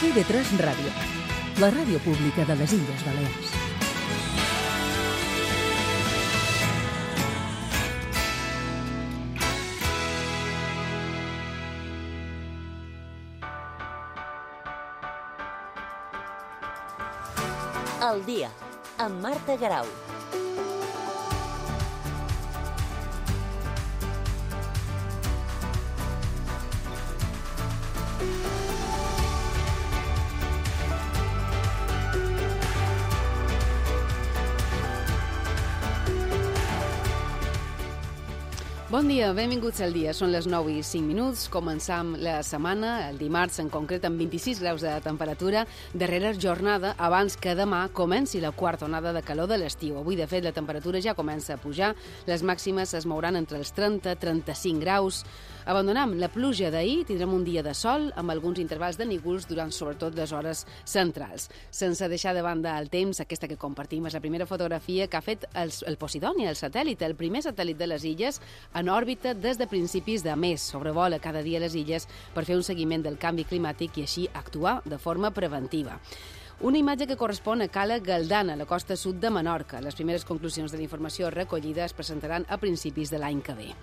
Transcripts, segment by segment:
TV3 Ràdio, la ràdio pública de les Illes Balears. El dia, amb Marta Garau. Bon dia, benvinguts al dia. Són les 9:05. Començam la setmana, el dimarts en concret, amb 26 graus de temperatura, darrera jornada abans que demà comenci la quarta onada de calor de l'estiu. Avui, de fet, la temperatura ja comença a pujar. Les màximes es mouran entre els 30 i 35 graus. Abandonam la pluja d'ahir, tindrem un dia de sol amb alguns intervals de núvols durant sobretot les hores centrals. Sense deixar de banda el temps, aquesta que compartim és la primera fotografia que ha fet el Posidònia, el satèl·lit, el primer satèl·lit de les illes en òrbita des de principis de mes. Sobrevola cada dia les illes per fer un seguiment del canvi climàtic i així actuar de forma preventiva. Una imatge que correspon a Cala Galdana, a la costa sud de Menorca. Les primeres conclusions de la informació recollida es presentaran a principis de l'any que ve.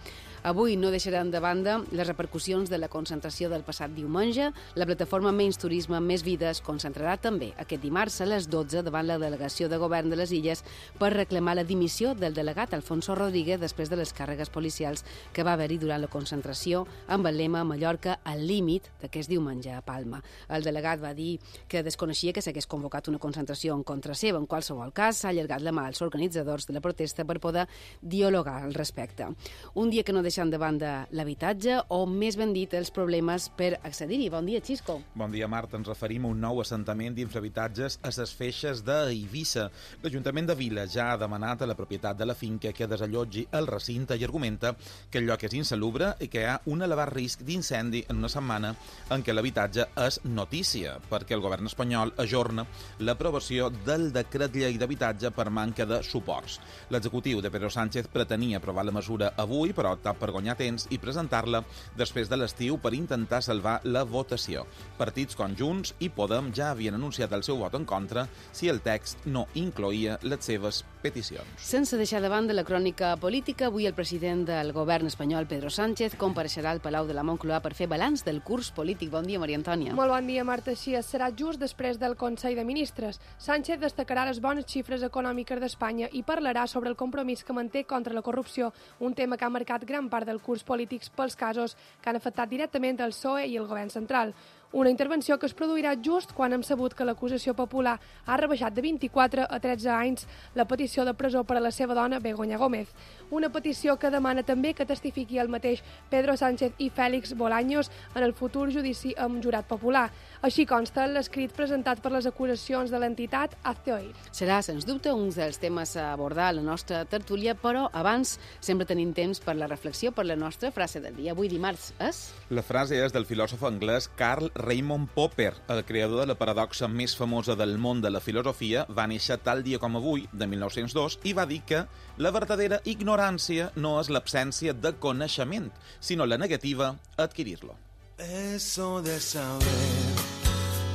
Avui no deixaran de banda les repercussions de la concentració del passat diumenge. La plataforma Menys Turisme, Més Vida es concentrarà també aquest dimarts a les 12 davant la delegació de govern de les Illes per reclamar la dimissió del delegat Alfonso Rodríguez després de les càrregues policials que va haver-hi durant la concentració amb el lema Mallorca al límit d'aquest diumenge a Palma. El delegat va dir que desconeixia que s'hagués convocat una concentració en contra seva. En qualsevol cas, s'ha allargat la mà als organitzadors de la protesta per poder dialogar al respecte. Un dia que no deixant de banda l'habitatge o, més ben dit, els problemes per accedir-hi. Bon dia, Xisco. Bon dia, Marta. Ens referim a un nou assentament d'infrahabitatges a les Feixes d'Eivissa. L'Ajuntament de Vila ja ha demanat a la propietat de la finca que desallotgi el recinte i argumenta que el lloc és insalubre i que hi ha un elevat risc d'incendi en una setmana en què l'habitatge és notícia, perquè el govern espanyol ajorna l'aprovació del decret llei d'habitatge per manca de suports. L'executiu de Pedro Sánchez pretenia aprovar la mesura avui, però ha optat per guanyar temps i presentar-la després de l'estiu per intentar salvar la votació. Partits com Junts i Podem ja havien anunciat el seu vot en contra si el text no incloïa les seves peticions. Sense deixar de banda la crònica política, avui el president del govern espanyol, Pedro Sánchez, compareixerà al Palau de la Moncloa per fer balanç del curs polític. Bon dia, Maria Antònia. Molt bon dia, Marta. Així serà just després del Consell de Ministres. Sánchez destacarà les bones xifres econòmiques d'Espanya i parlarà sobre el compromís que manté contra la corrupció, un tema que ha marcat gran part del curs polítics pels casos que han afectat directament el PSOE i el govern central. Una intervenció que es produirà just quan hem sabut que l'acusació popular ha rebaixat de 24 a 13 anys la petició de presó per a la seva dona, Begoña Gómez. Una petició que demana també que testifiqui el mateix Pedro Sánchez i Félix Bolaños en el futur judici amb jurat popular. Així consta l'escrit presentat per les acusacions de l'entitat Hazte Oír. Serà, sens dubte, un dels temes a abordar a la nostra tertúlia, però abans sempre tenim temps per la reflexió, per la nostra frase del dia. Avui dimarts és... La frase és del filòsof anglès Karl Raimund Popper, el creador de la paradoxa més famosa del món de la filosofia. Va néixer tal dia com avui, de 1902, i va dir que la verdadera ignorància no és l'absència de coneixement, sinó la negativa a adquirir-lo. Eso de saber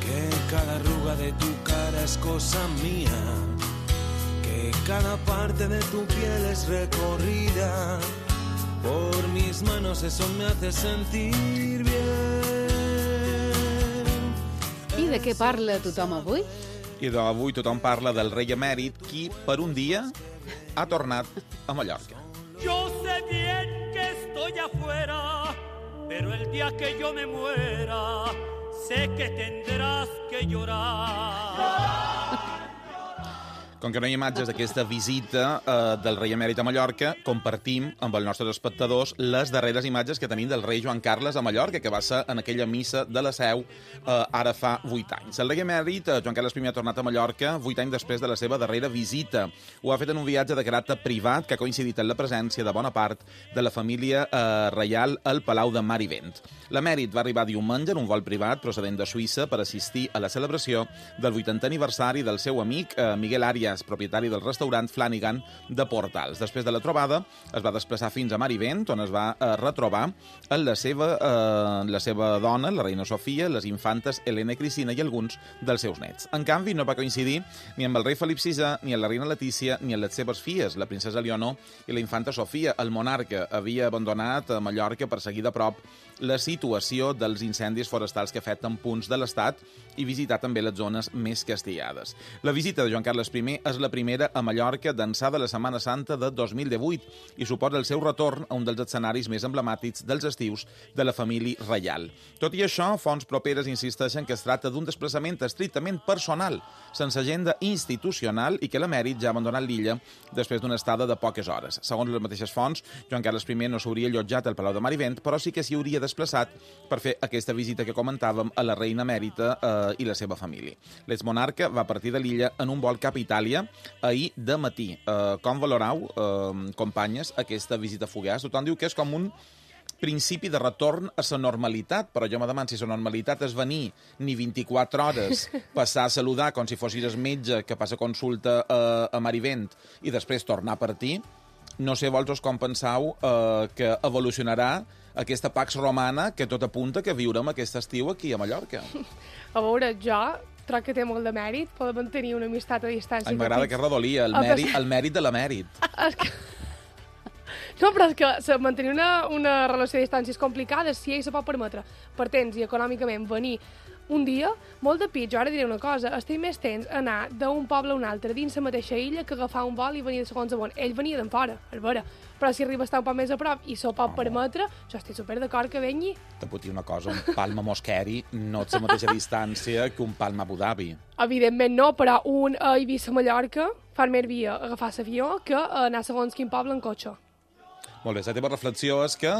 que cada arruga de tu cara es cosa mía, que cada parte de tu piel es recorrida por mis manos, eso me hace sentir bien. I de què parla tothom avui? I avui tothom parla del rei emèrit, qui per un dia ha tornat a Mallorca. Yo sé bien que estoy afuera, pero el día que yo me muera, sé que tendrás que llorar. Com que no hi ha imatges d'aquesta visita del rei emèrit a Mallorca, compartim amb els nostres espectadors les darreres imatges que tenim del rei Joan Carles a Mallorca, que va ser en aquella missa de la Seu ara fa 8 anys. El rei emèrit, Joan Carles I, ha tornat a Mallorca 8 anys després de la seva darrera visita. Ho ha fet en un viatge de caràcter privat que ha coincidit amb la presència de bona part de la família reial al Palau de Mar i Vent. L'emèrit va arribar diumenge en un vol privat procedent de Suïssa per assistir a la celebració del 80è aniversari del seu amic Miguel Arias, és propietari del restaurant Flanagan de Portals. Després de la trobada, es va desplaçar fins a Marivent, on es va retrobar amb la seva dona, la reina Sofia, les infantes Helena i Cristina i alguns dels seus nets. En canvi, no va coincidir ni amb el rei Felip VI, ni amb la reina Letícia, ni amb les seves filles, la princesa Leonor i la infanta Sofia. El monarca havia abandonat a Mallorca per seguir de prop la situació dels incendis forestals que afecten punts de l'Estat i visitar també les zones més castigades. La visita de Joan Carles I és la primera a Mallorca d'ençà de la Setmana Santa de 2018 i suposa el seu retorn a un dels escenaris més emblemàtics dels estius de la família reial. Tot i això, fonts properes insisteixen que es tracta d'un desplaçament estrictament personal, sense agenda institucional i que l'emèrit ja ha abandonat l'illa després d'una estada de poques hores. Segons les mateixes fonts, Joan Carles I no s'hauria allotjat al Palau de Marivent, però sí que s'hi hauria desplaçat per fer aquesta visita que comentàvem a la reina emèrita i la seva família. L'exmonarca va partir de l'illa en un vol cap a Itàlia ahir de matí. Com valorau, companyes, aquesta visita fugaç? Tothom diu que és com un principi de retorn a la normalitat, però jo me demano si la normalitat és venir ni 24 hores, passar a saludar com si fossis el metge que passa consulta a Marivent i després tornar a partir. No sé, vosaltres com penseu que evolucionarà aquesta Pax Romana que tot apunta que viurem aquest estiu aquí a Mallorca. A veure, jo crec que té molt de mèrit poder mantenir una amistat a distància. Ai, m'agrada que redolia, el mèrit de l'emèrit. No, però és que mantenir una relació a distància és complicada si ell se pot permetre per temps i econòmicament venir un dia, molt de pit. Jo ara diré una cosa, estic més temps anar d'un poble a un altre dins la mateixa illa que agafar un vol i venir de segons a on. Ell venia d'en fora, és vera, però si arriba a estar un poc més a prop i s'ho pot permetre, jo estic super d'acord que vengui. Te puc dir una cosa, un Palma Mosqueri no és la mateixa distància que un Palma Abu Dhabi. Evidentment no, però un a Eivissa-Mallorca fa més via agafar l'avió que anar segons quin poble en cotxe. Molt bé, la teva reflexió és que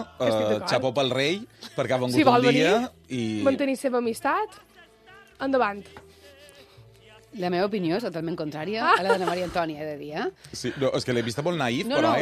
xapó pel rei, perquè ha vengut si un dia i... mantenir seva amistat, endavant. La meva opinió és totalment contrària a la de Maria Antònia, he de dir, Sí, no, és que l'he vista molt naïf, no, però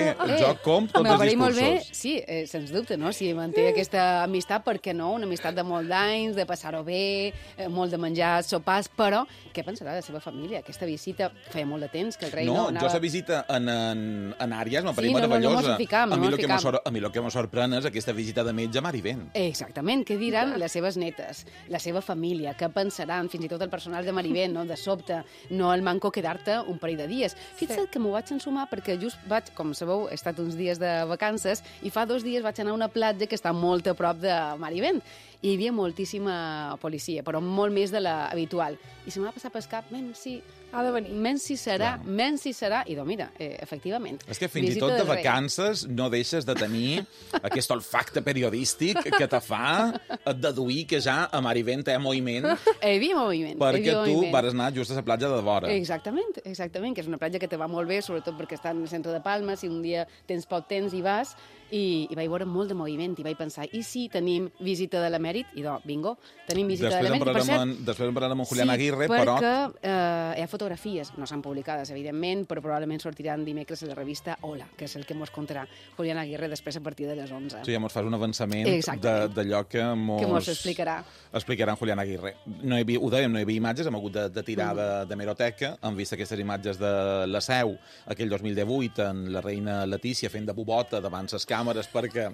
jo compto tots els discursos. Molt bé, sí, sens dubte, no? Si manté aquesta amistat, per què no? Una amistat de molt d'anys, de passar-ho bé, molt de menjar sopars, però què pensarà de la seva família? Aquesta visita feia molt de temps que el rei no anava... No, jo la visita en Àries m'apareix meravellosa. A mi el que me sorprèn és aquesta visita de metge a Marivent. Exactament, què diran les seves netes, la seva família, què pensaran, fins i tot el personal de Marivent, no? De sobte, no el manco quedar-te un parell de dies. Fixa't que m'ho vaig ensumar perquè just vaig, com sabeu, he estat uns dies de vacances i fa 2 dies vaig anar a una platja que està molt a prop de Marivent i hi havia moltíssima policia, però molt més de l'habitual. I se m'ha passat pel cap, si ha de venir. Menys si serà, i doncs mira, efectivament. És que fins i tot de vacances no deixes de tenir aquest olfacte periodístic que te fa deduir que ja a Marivent hi ha moviment. Hi havia moviment. Perquè tu vas anar just a la platja de vora. Exactament, que és una platja que te va molt bé, sobretot perquè està en el centre de Palma, si un dia tens poc temps i vas, i vaig veure molt de moviment, i vaig pensar, i si tenim visita de l'emèrit? I doncs, bingo, tenim visita de l'emèrit. Després en parlarem amb Julián Aguirre, però... Sí, perquè hi ha fotografies, no s'han publicades, evidentment, però probablement sortiran dimecres a la revista Hola, que és el que mos contarà Julián Aguirre després a partir de les 11. Sí, ja mos fas un avançament d'allò que mos explicarà. Explicarà en Julián Aguirre. Ho dèiem, no hi havia imatges, hem hagut de tirar de meroteca, hem vist aquestes imatges de la Seu, aquell 2018, en la reina Letícia fent de bubota davant les càmeres perquè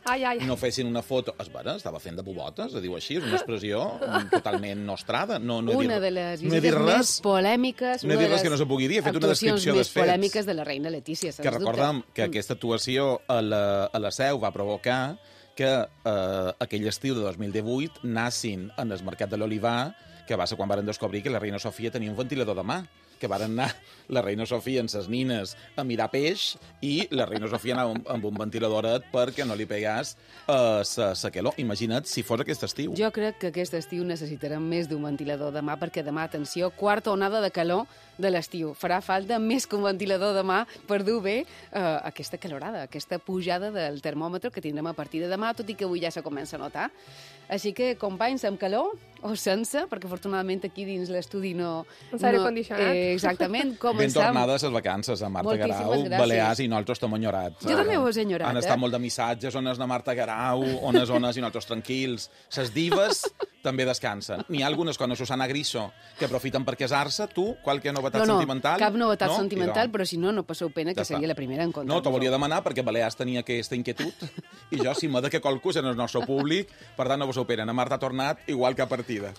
no fessin una foto. Es vera, estava fent de bubotes, es diu així, és una expressió totalment nostrada. Una de les visites més polèmiques, no he dit res que no se pugui dir, he fet una descripció dels fets. Més polèmiques de la reina Letícia, que recordem que aquesta actuació a la Seu va provocar que aquell estiu de 2018 nassin en el mercat de l'Olivar, que va ser quan varen descobrir que la reina Sofia tenia un ventilador de mà, que varen anar la reina Sofia amb ses nines a mirar peix i la reina Sofia anava amb un ventiladoret perquè no li pegàs sa calor. Imagina't si fos aquest estiu. Jo crec que aquest estiu necessitarem més d'un ventilador de mà perquè demà, atenció, quarta onada de calor de l'estiu. Farà falta més que un ventilador de mà per dur bé aquesta calorada, aquesta pujada del termòmetre que tindrem a partir de demà, tot i que avui ja se comença a notar. Així que, companys, amb calor o sense, perquè afortunadament aquí dins l'estudi no... Un aire condicionat. Exactament. Ben tornades les vacances a Marta Garau, Balears, i nosaltres t'hem enyorat. Jo també ho he enyorat. Han estat molt de missatges, on és la Marta Garau, on és i nosaltres tranquils. Ses divas també descansen. N'hi ha algunes com a Susana Griso que aprofiten per casar-se. Tu, qualque novetat sentimental? Cap novetat sentimental, però si no passeu pena, que seria la primera en contar. No, t'ho volia demanar perquè Balears tenia aquesta inquietud i jo, si m'ha de que qualcú en el nostre públic, per tant no passeu pena. Na Marta ha tornat igual que a partida.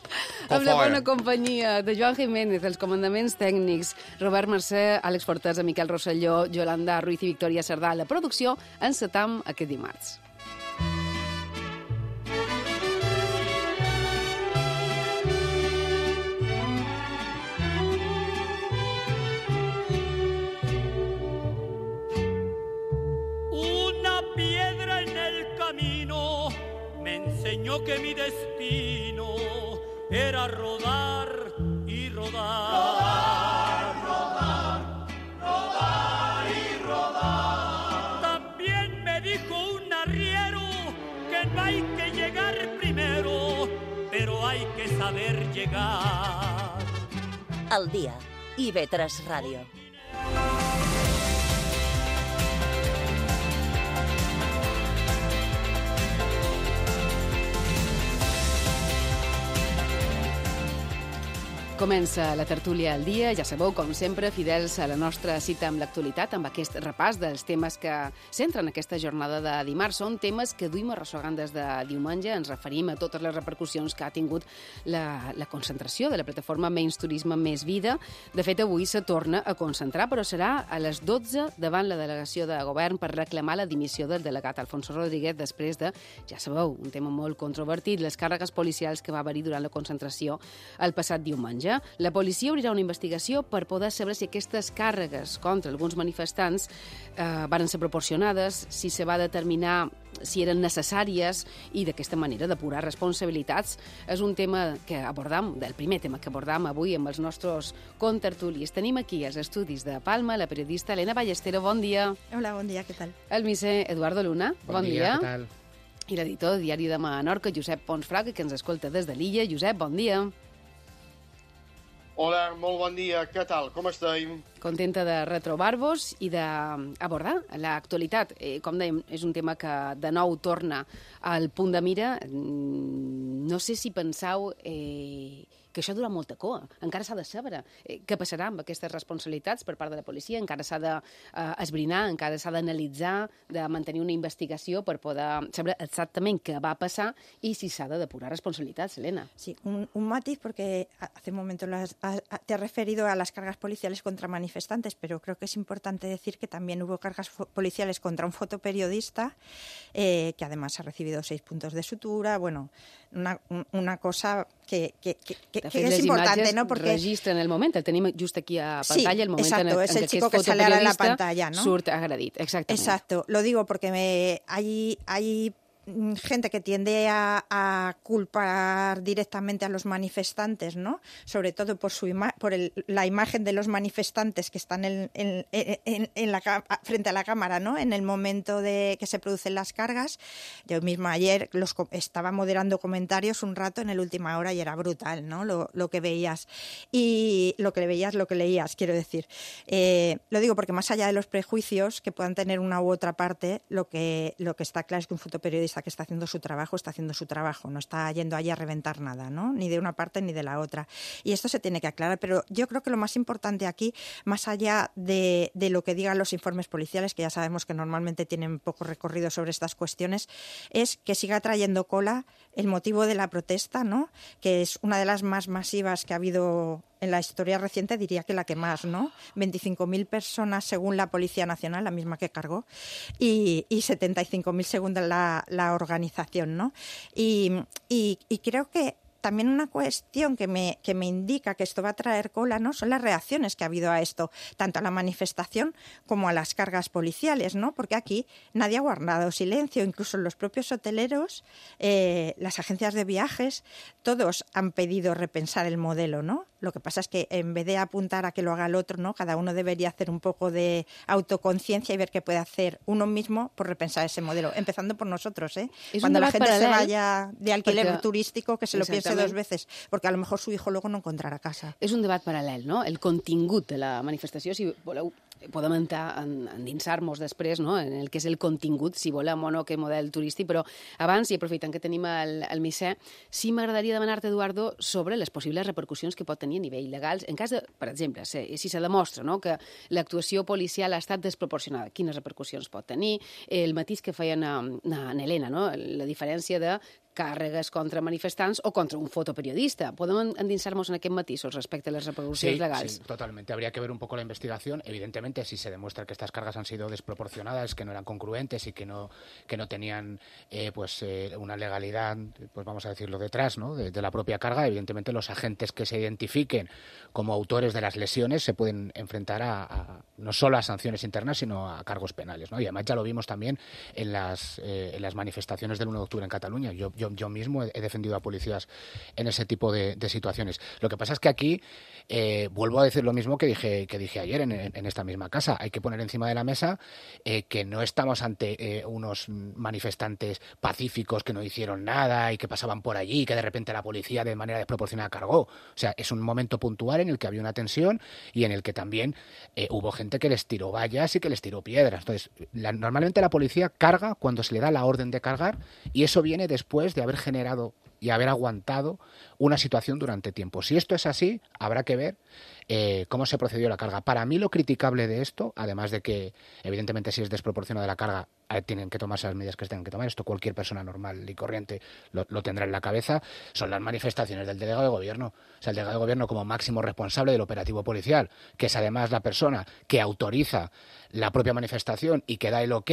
Amb la bona companyia de Joan Jiménez, els comandaments tècnics, Robert Mercè, Àlex Fortesa, Miquel Rosselló, Yolanda Ruiz i Victòria Cerdà. La producció encetam aquest dimarts. Me enseñó que mi destino era rodar y rodar. Rodar, rodar, rodar y rodar. También me dijo un arriero que no hay que llegar primero, pero hay que saber llegar. Al dia, IB3 Ràdio. Comença la tertúlia al dia, ja sabeu, com sempre, fidels a la nostra cita amb l'actualitat, amb aquest repàs dels temes que centren aquesta jornada de dimarts. Són temes que duim arrossegant des de diumenge. Ens referim a totes les repercussions que ha tingut la concentració de la plataforma Menys Turisme, Més Vida. De fet, avui se torna a concentrar, però serà a les 12 davant la delegació de govern per reclamar la dimissió del delegat Alfonso Rodríguez després de, ja sabeu, un tema molt controvertit, les càrregues policials que va haver-hi durant la concentració el passat diumenge. La policia obrirà una investigació per poder saber si aquestes càrregues contra alguns manifestants van ser proporcionades, si se va determinar si eren necessàries i d'aquesta manera depurar responsabilitats. És un tema que abordam, el primer tema que abordam avui amb els nostres contertulis. Tenim aquí als estudis de Palma la periodista Elena Ballestero. Bon dia. Hola, bon dia, què tal? El misser Eduardo Luna. Bon dia, què tal? I l'editor del Diari de Menorca, Josep Pons Fraga, que ens escolta des de l'illa. Josep, bon dia. Hola, molt bon dia. Què tal? Com estem? Contenta de retrobar-vos i d'abordar l'actualitat. Com dèiem, és un tema que de nou torna al punt de mira. No sé si penseu que això dura molta cua. Encara s'ha de saber què passarà amb aquestes responsabilitats per part de la policia. Encara s'ha d'esbrinar, encara s'ha d'analitzar, de mantenir una investigació per poder saber exactament què va passar i si s'ha de depurar responsabilitats, Elena. Sí, un matiz, porque hace un momento te has referido a las cargas policiales contra manifestantes, pero creo que es importante decir que también hubo cargas policiales contra un fotoperiodista, que además ha recibido 6 puntos de sutura. Bueno, una cosa que es importante, ¿no? Porque registren el moment, el tenim just aquí a pantalla, sí, el moment exacto, en es el què chico aquest que sale ahora en la fotoperiodista pantalla, ¿no? surt agredit, exactament. Exacto, lo digo porque hay gente que tiende a culpar directamente a los manifestantes, ¿no? Sobre todo por la imagen de los manifestantes que están frente a la cámara, ¿no? En el momento de que se producen las cargas. Yo misma ayer estaba moderando comentarios un rato en el Última Hora y era brutal, ¿no? Lo que veías y lo que leías, quiero decir. Lo digo porque más allá de los prejuicios que puedan tener una u otra parte, lo que está claro es que un fotoperiodista que está haciendo su trabajo, no está yendo allí a reventar nada, ¿no? Ni de una parte ni de la otra. Y esto se tiene que aclarar, pero yo creo que lo más importante aquí, más allá de lo que digan los informes policiales, que ya sabemos que normalmente tienen poco recorrido sobre estas cuestiones, es que siga trayendo cola el motivo de la protesta, ¿no? Que es una de las más masivas que ha habido en la historia reciente, diría que la que más, ¿no? 25.000 personas según la Policía Nacional, la misma que cargó, y 75.000 según la organización, ¿no? Y creo que también una cuestión que me indica que esto va a traer cola, ¿no? Son las reacciones que ha habido a esto, tanto a la manifestación como a las cargas policiales, ¿no? Porque aquí nadie ha guardado silencio, incluso los propios hoteleros, las agencias de viajes, todos han pedido repensar el modelo, ¿no? Lo que pasa es que en vez de apuntar a que lo haga el otro, ¿no? Cada uno debería hacer un poco de autoconciencia y ver qué puede hacer uno mismo por repensar ese modelo, empezando por nosotros, ¿eh? Cuando la gente se vaya de alquiler turístico, que se lo piense 2 veces, porque a lo mejor su hijo luego no encontrarà casa. És un debat paral·lel, no? El contingut de la manifestació, si voleu podem endinsar-nos després, no?, en el que és el contingut, si volem o no, que model turístic, però abans, i aprofitant que tenim el Misser, sí m'agradaria demanar-te, Eduardo, sobre les possibles repercussions que pot tenir a nivell legal, en cas de, per exemple, si se demostra, no?, que l'actuació policial ha estat desproporcionada, quines repercussions pot tenir, el matís que feien a Helena, no?, la diferència de càrregues contra manifestants o contra un fotoperiodista. ¿Podemos endinsarnos en aquest matisos respecto a las repercusiones legales? Sí, totalmente. Habría que ver un poco la investigación. Evidentemente, si se demuestra que estas cargas han sido desproporcionadas, que no eran congruentes y que no tenían una legalidad, pues vamos a decirlo, detrás, ¿no?, de la propia carga, evidentemente los agentes que se identifiquen como autores de las lesiones se pueden enfrentar a no solo a sanciones internas, sino a cargos penales, ¿no? Y además ya lo vimos también en las manifestaciones del 1 de octubre en Cataluña. Yo mismo he defendido a policías en ese tipo de situaciones. Lo que pasa es que aquí vuelvo a decir lo mismo que dije ayer en esta misma casa. Hay que poner encima de la mesa que no estamos ante unos manifestantes pacíficos que no hicieron nada y que pasaban por allí y que de repente la policía de manera desproporcionada cargó. O sea, es un momento puntual en el que había una tensión y en el que también hubo gente que les tiró vallas y que les tiró piedras. Entonces, normalmente la policía carga cuando se le da la orden de cargar, y eso viene después de haber generado y haber aguantado una situación durante tiempo. Si esto es así, habrá que ver cómo se procedió la carga. Para mí lo criticable de esto, además de que evidentemente si es desproporcionada la carga, tienen que tomarse las medidas que se tengan que tomar, esto cualquier persona normal y corriente lo tendrá en la cabeza, son las manifestaciones del delegado de gobierno. O sea, el delegado de gobierno como máximo responsable del operativo policial, que es además la persona que autoriza la propia manifestación y que da el ok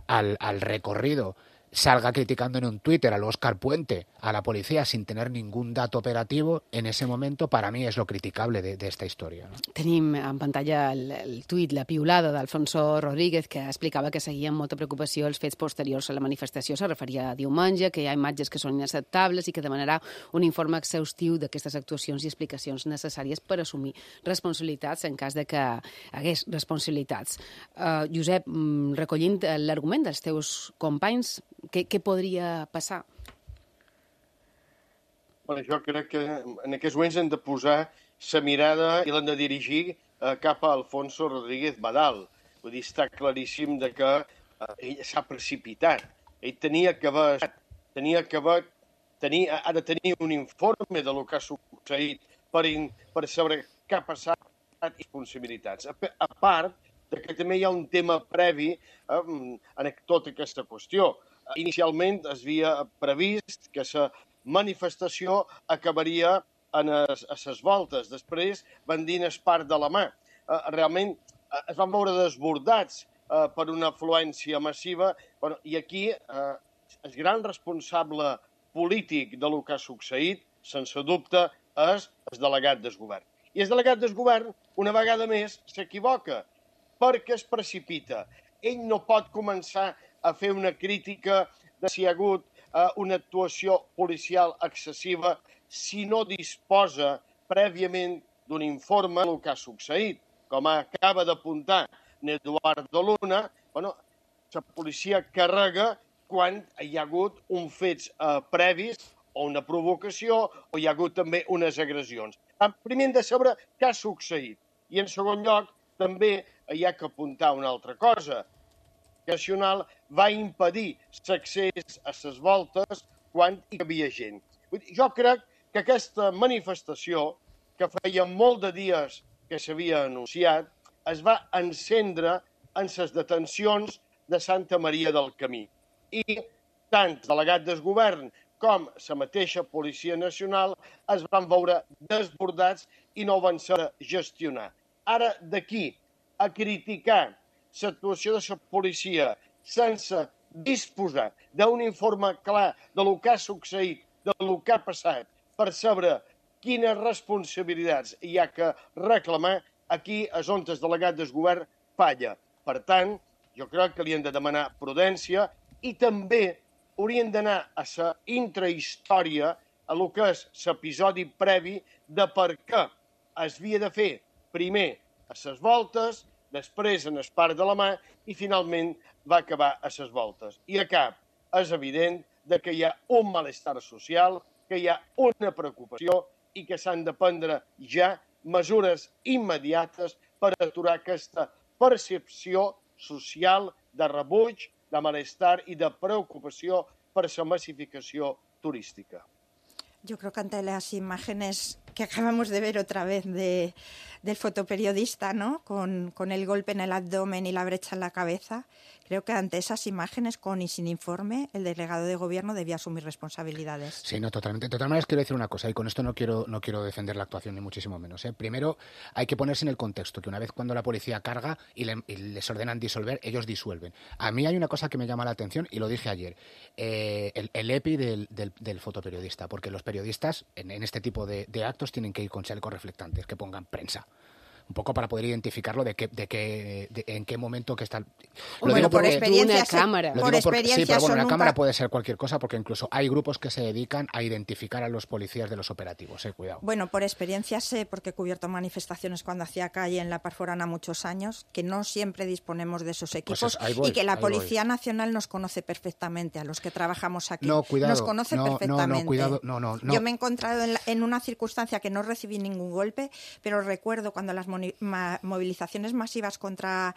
al recorrido, salga criticando en un Twitter al Óscar Puente, a la policía, sin tener ningún dato operativo, en ese momento, para mí és lo criticable de esta història. No? Tenim en pantalla el tuit, la piulada d'Alfonso Rodríguez, que explicava que seguia amb molta preocupació els fets posteriors a la manifestació. Se referia a diumenge, que hi ha imatges que són inacceptables i que demanarà un informe exhaustiu d'aquestes actuacions i explicacions necessàries per assumir responsabilitats en cas de que hagués responsabilitats. Josep, recollint l'argument dels teus companys, què podria passar? Bueno, jo crec que en aquests moments hem de posar la mirada i l'hem de dirigir cap a Alfonso Rodríguez Badal. Vull dir, està claríssim de que ell s'ha precipitat. Ell ha de tenir un informe de lo que ha succeït per saber què ha passat i responsabilitats. A part de que també hi ha un tema previ en tota aquesta qüestió. Inicialment es havia previst que la manifestació acabaria a les voltes. Després van dir en part de la mà. Realment es van veure desbordats per una afluència massiva i aquí el gran responsable polític de lo que ha succeït, sense dubte, és el delegat del govern. I el delegat del govern, una vegada més, s'equivoca perquè es precipita. Ell no pot començar a fer una crítica de si hi ha hagut una actuació policial excessiva si no disposa prèviament d'un informe del que ha succeït. Com acaba d'apuntar Eduardo Luna, la policia carrega quan hi ha hagut uns fets previs o una provocació o hi ha hagut també unes agressions. Primer hem de saber què ha succeït. I en segon lloc, també hi ha que apuntar una altra cosa. El Nacional va impedir l'accés a les voltes quan hi havia gent. Jo crec que aquesta manifestació, que feia molt de dies que s'havia anunciat, es va encendre en les detencions de Santa Maria del Camí. I tant el delegat del govern com la mateixa Policia Nacional es van veure desbordats i no van saber gestionar. Ara, d'aquí a criticar l'actuació de la policia sense disposar d'un informe clar de lo que ha succeït, de lo que ha passat, per saber quines responsabilitats hi ha que reclamar, aquí és on el delegat del govern falla. Per tant, jo crec que li hem de demanar prudència i també haurien d'anar a la intrahistòria, a lo que és l'episodi previ de per què es havia de fer primer a les voltes, després en el parc de la mà i finalment va acabar a les voltes. I a cap és evident que hi ha un malestar social, que hi ha una preocupació i que s'han de prendre ja mesures immediates per aturar aquesta percepció social de rebuig, de malestar i de preocupació per la massificació turística. Yo creo que ante las imágenes que acabamos de ver otra vez del fotoperiodista, ¿no? Con el golpe en el abdomen y la brecha en la cabeza, creo que ante esas imágenes, con y sin informe, el delegado de gobierno debía asumir responsabilidades. Sí, no, totalmente. De todas maneras, quiero decir una cosa, y con esto no quiero defender la actuación, ni muchísimo menos. Primero, hay que ponerse en el contexto, que una vez cuando la policía carga y les ordenan disolver, ellos disuelven. A mí hay una cosa que me llama la atención, y lo dije ayer, el EPI del fotoperiodista, porque los periodistas en este tipo de actos tienen que ir con chalecos reflectantes, que pongan prensa. Un poco para poder identificarlo en qué momento que está. Bueno, por experiencia, una cámara. Sí, pero bueno, una cámara puede ser cualquier cosa, porque incluso hay grupos que se dedican a identificar a los policías de los operativos. Cuidado. Bueno, por experiencia sé, porque he cubierto manifestaciones cuando hacía calle en La Parforana muchos años, que no siempre disponemos de esos equipos, y que la Policía Nacional nos conoce perfectamente, a los que trabajamos aquí. No, cuidado. Nos conoce perfectamente. No, cuidado. No. Yo me he encontrado en una circunstancia que no recibí ningún golpe, pero recuerdo cuando las movilizaciones masivas contra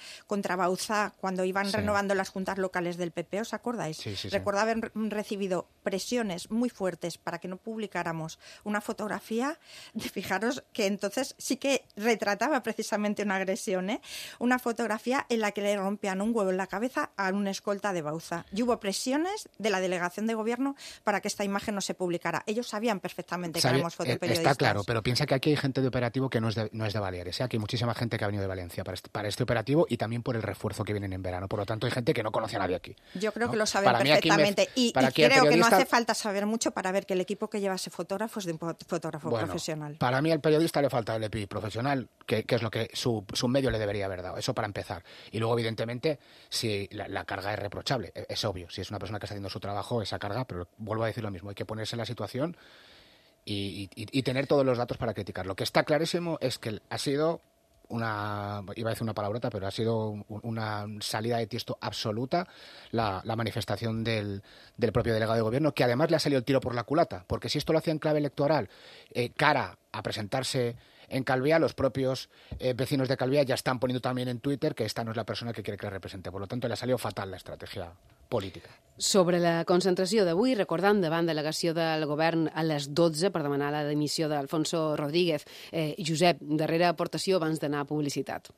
Bauzá, cuando iban renovando las juntas locales del PP, ¿os acordáis? Sí. Recuerdo haber recibido presiones muy fuertes para que no publicáramos una fotografía, fijaros que entonces sí que retrataba precisamente una agresión, una fotografía en la que le rompían un huevo en la cabeza a un escolta de Bauzá. Y hubo presiones de la delegación de gobierno para que esta imagen no se publicara. Ellos sabían perfectamente que éramos fotoperiodistas. Está claro, pero piensa que aquí hay gente de operativo que no es de Baleares, Aquí hay muchísima gente que ha venido de Valencia para este operativo, y también por el refuerzo que vienen en verano. Por lo tanto, hay gente que no conoce a nadie aquí. Yo creo que lo saben perfectamente. Y creo que no hace falta saber mucho para ver que el equipo que lleva ese fotógrafo es de un fotógrafo profesional. Para mí al periodista le falta el EPI profesional, que es lo que su medio le debería haber dado. Eso para empezar. Y luego, evidentemente, si la carga es reprochable, es obvio. Si es una persona que está haciendo su trabajo, esa carga, pero vuelvo a decir lo mismo, hay que ponerse en la situación y tener todos los datos para criticar. Lo que está clarísimo es que ha sido iba a decir una palabrota, pero ha sido una salida de tiesto absoluta la manifestación del propio delegado de gobierno, que además le ha salido el tiro por la culata, porque si esto lo hacía en clave electoral, cara a presentarse en Calviá, los propios vecinos de Calviá ya están poniendo también en Twitter que esta no es la persona que quiere que la represente. Por lo tanto, le ha salido fatal la estrategia política. Sobre la concentració d'avui, recordant davant delegació del govern a les 12 per demanar la dimissió d'Alfonso Rodríguez. Josep, darrera aportació abans d'anar a publicitat.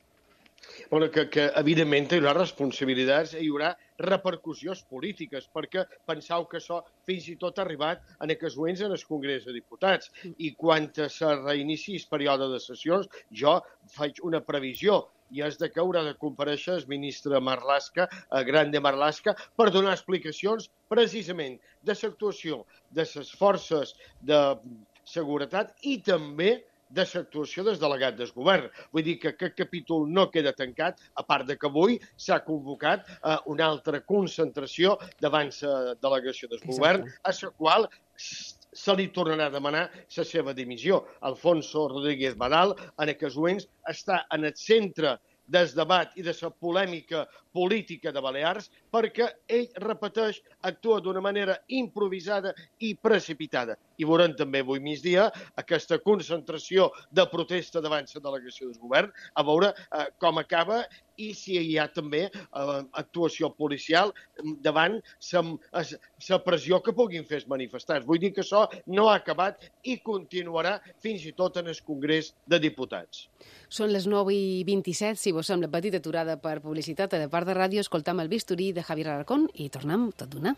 Bueno, que evidentment hi haurà responsabilitats, hi haurà repercussions polítiques, perquè penseu que això fins i tot ha arribat en aquests moments en el Congrés de Diputats. I quan se reinici el període de sessions, jo faig una previsió, i és de que haurà de comparèixer el ministre Marlaska, Grande Marlaska, per donar explicacions precisament de l'actuació de les forces de seguretat i també de l'actuació del delegat del govern. Vull dir que aquest capítol no queda tancat, a part de que avui s'ha convocat una altra concentració davant la delegació del govern, a la qual se li tornarà a demanar la seva dimissió. Alfonso Rodríguez Badal, en aquests moments, està en el centre del debat i de la polèmica política de Balears, perquè ell, repeteix, actua d'una manera improvisada i precipitada. I veurem també avui migdia aquesta concentració de protesta davant la delegació del govern, a veure com acaba i si hi ha també actuació policial davant la pressió que puguin fer els manifestants. Vull dir que això no ha acabat i continuarà fins i tot en el Congrés de Diputats. Són les 9:27, si vos sembla, petita aturada per publicitat a la part de ràdio, escoltam el bisturí de Javier Alarcón i tornem tot d'una.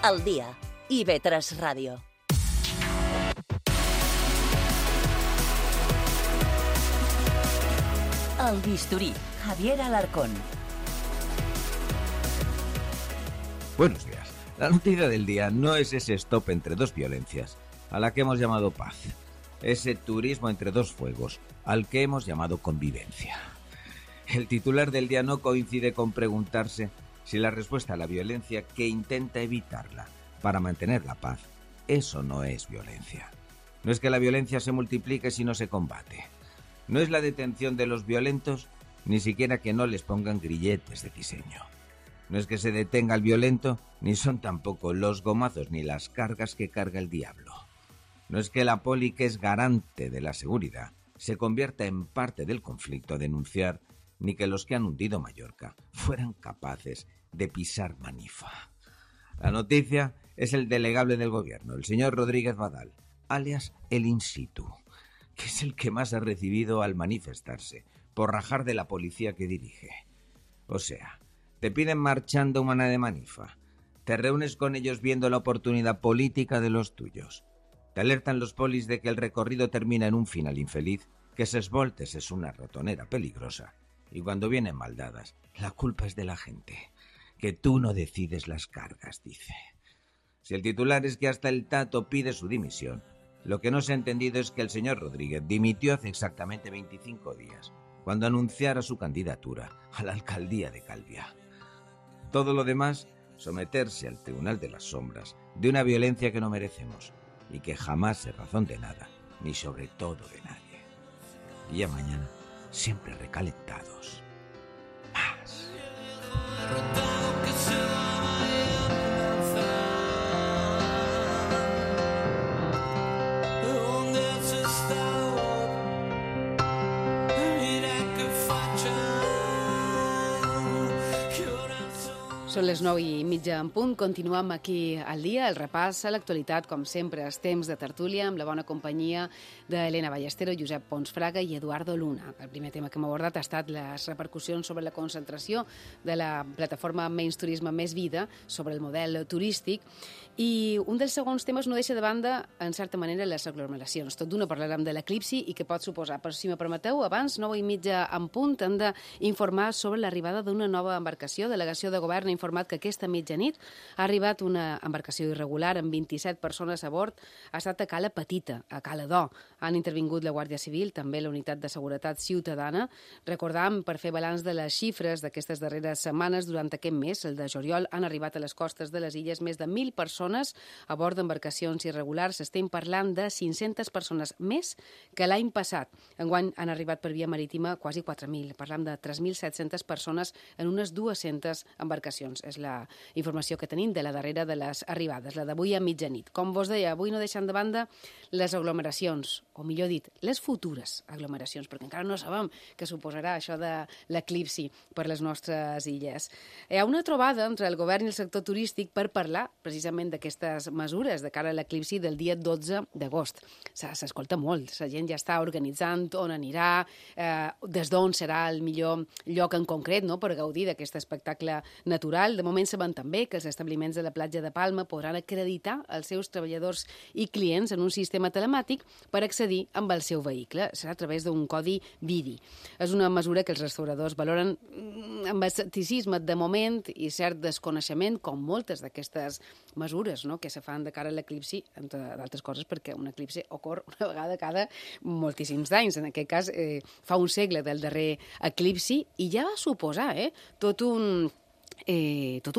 Al dia, IB3 Ràdio. El bisturí, Javier Alarcón. Buenos días. La noticia del día no es ese stop entre dos violencias, a la que hemos llamado paz. Ese turismo entre dos fuegos, al que hemos llamado convivencia. El titular del día no coincide con preguntarse si la respuesta a la violencia que intenta evitarla para mantener la paz, eso no es violencia. No es que la violencia se multiplique si no se combate. No es la detención de los violentos, ni siquiera que no les pongan grilletes de diseño. No es que se detenga el violento, ni son tampoco los gomazos ni las cargas que carga el diablo. No es que la poli, que es garante de la seguridad, se convierta en parte del conflicto a denunciar, ni que los que han hundido Mallorca fueran capaces de pisar Manifa. La noticia es el delegable del gobierno, el señor Rodríguez Badal, alias el in situ, que es el que más ha recibido al manifestarse por rajar de la policía que dirige. O sea, te piden marchando una de Manifa, te reúnes con ellos viendo la oportunidad política de los tuyos, te alertan los polis de que el recorrido termina en un final infeliz, que Ses Voltes es una ratonera peligrosa, y cuando vienen maldadas, la culpa es de la gente, que tú no decides las cargas, dice. Si el titular es que hasta el Tato pide su dimisión, lo que no se ha entendido es que el señor Rodríguez dimitió hace exactamente 25 días, cuando anunciara su candidatura a la alcaldía de Calviá. Todo lo demás, someterse al Tribunal de las Sombras de una violencia que no merecemos y que jamás es razón de nada, ni sobre todo de nadie. Y ya mañana, siempre recalentados. Más. Són les 9:30 en punt. Continuem aquí al dia, el repàs a l'actualitat, com sempre, els temps de tertúlia, amb la bona companyia d'Helena Ballestero, Josep Pons Fraga i Eduardo Luna. El primer tema que hem abordat ha estat les repercussions sobre la concentració de la plataforma Menys Turisme Més Vida sobre el model turístic, i un dels segons temes no deixa de banda, en certa manera, les aglomeracions. Tot d'una parlarem de l'eclipsi i què pot suposar. Però si me permeteu, abans, 9:30 en punt, hem d'informar sobre l'arribada d'una nova embarcació. Delegació de Govern ha informat que aquesta mitjanit ha arribat una embarcació irregular amb 27 persones a bord. Ha estat a Cala Petita, a Cala d'O. Han intervingut la Guàrdia Civil, també la Unitat de Seguretat Ciutadana. Recordam, per fer balanç de les xifres d'aquestes darreres setmanes, durant aquest mes, el de juliol, han arribat a les costes de les illes més de 1.000 persones a bord d'embarcacions irregulars. Estem parlant de 500 persones més que l'any passat. Enguany han arribat per via marítima quasi 4.000. Parlam de 3.700 persones en unes 200 embarcacions. És la informació que tenim de la darrera de les arribades, la d'avui a mitjanit. Com vos deia, avui no deixant de banda les aglomeracions, o millor dit, les futures aglomeracions, perquè encara no sabem què suposarà això de l'eclipsi per les nostres illes. Hi ha una trobada entre el govern i el sector turístic per parlar precisament d'aquestes mesures de cara a l'eclipsi del dia 12 d'agost. S'escolta molt, la gent ja està organitzant on anirà, des d'on serà el millor lloc en concret, no?, per gaudir d'aquest espectacle natural. De moment sabem també que els establiments de la platja de Palma podran acreditar els seus treballadors i clients en un sistema telemàtic per accedir amb el seu vehicle. Serà a través d'un codi VIDI. És una mesura que els restauradors valoren amb escepticisme de moment i cert desconeixement, com moltes d'aquestes mesures, no?, que se fan de cara a l'eclipsi, entre d'altres coses perquè un eclipsi ocorre una vegada cada moltíssims anys. En aquest cas, fa un segle del darrer eclipsi, i ja va suposar tot un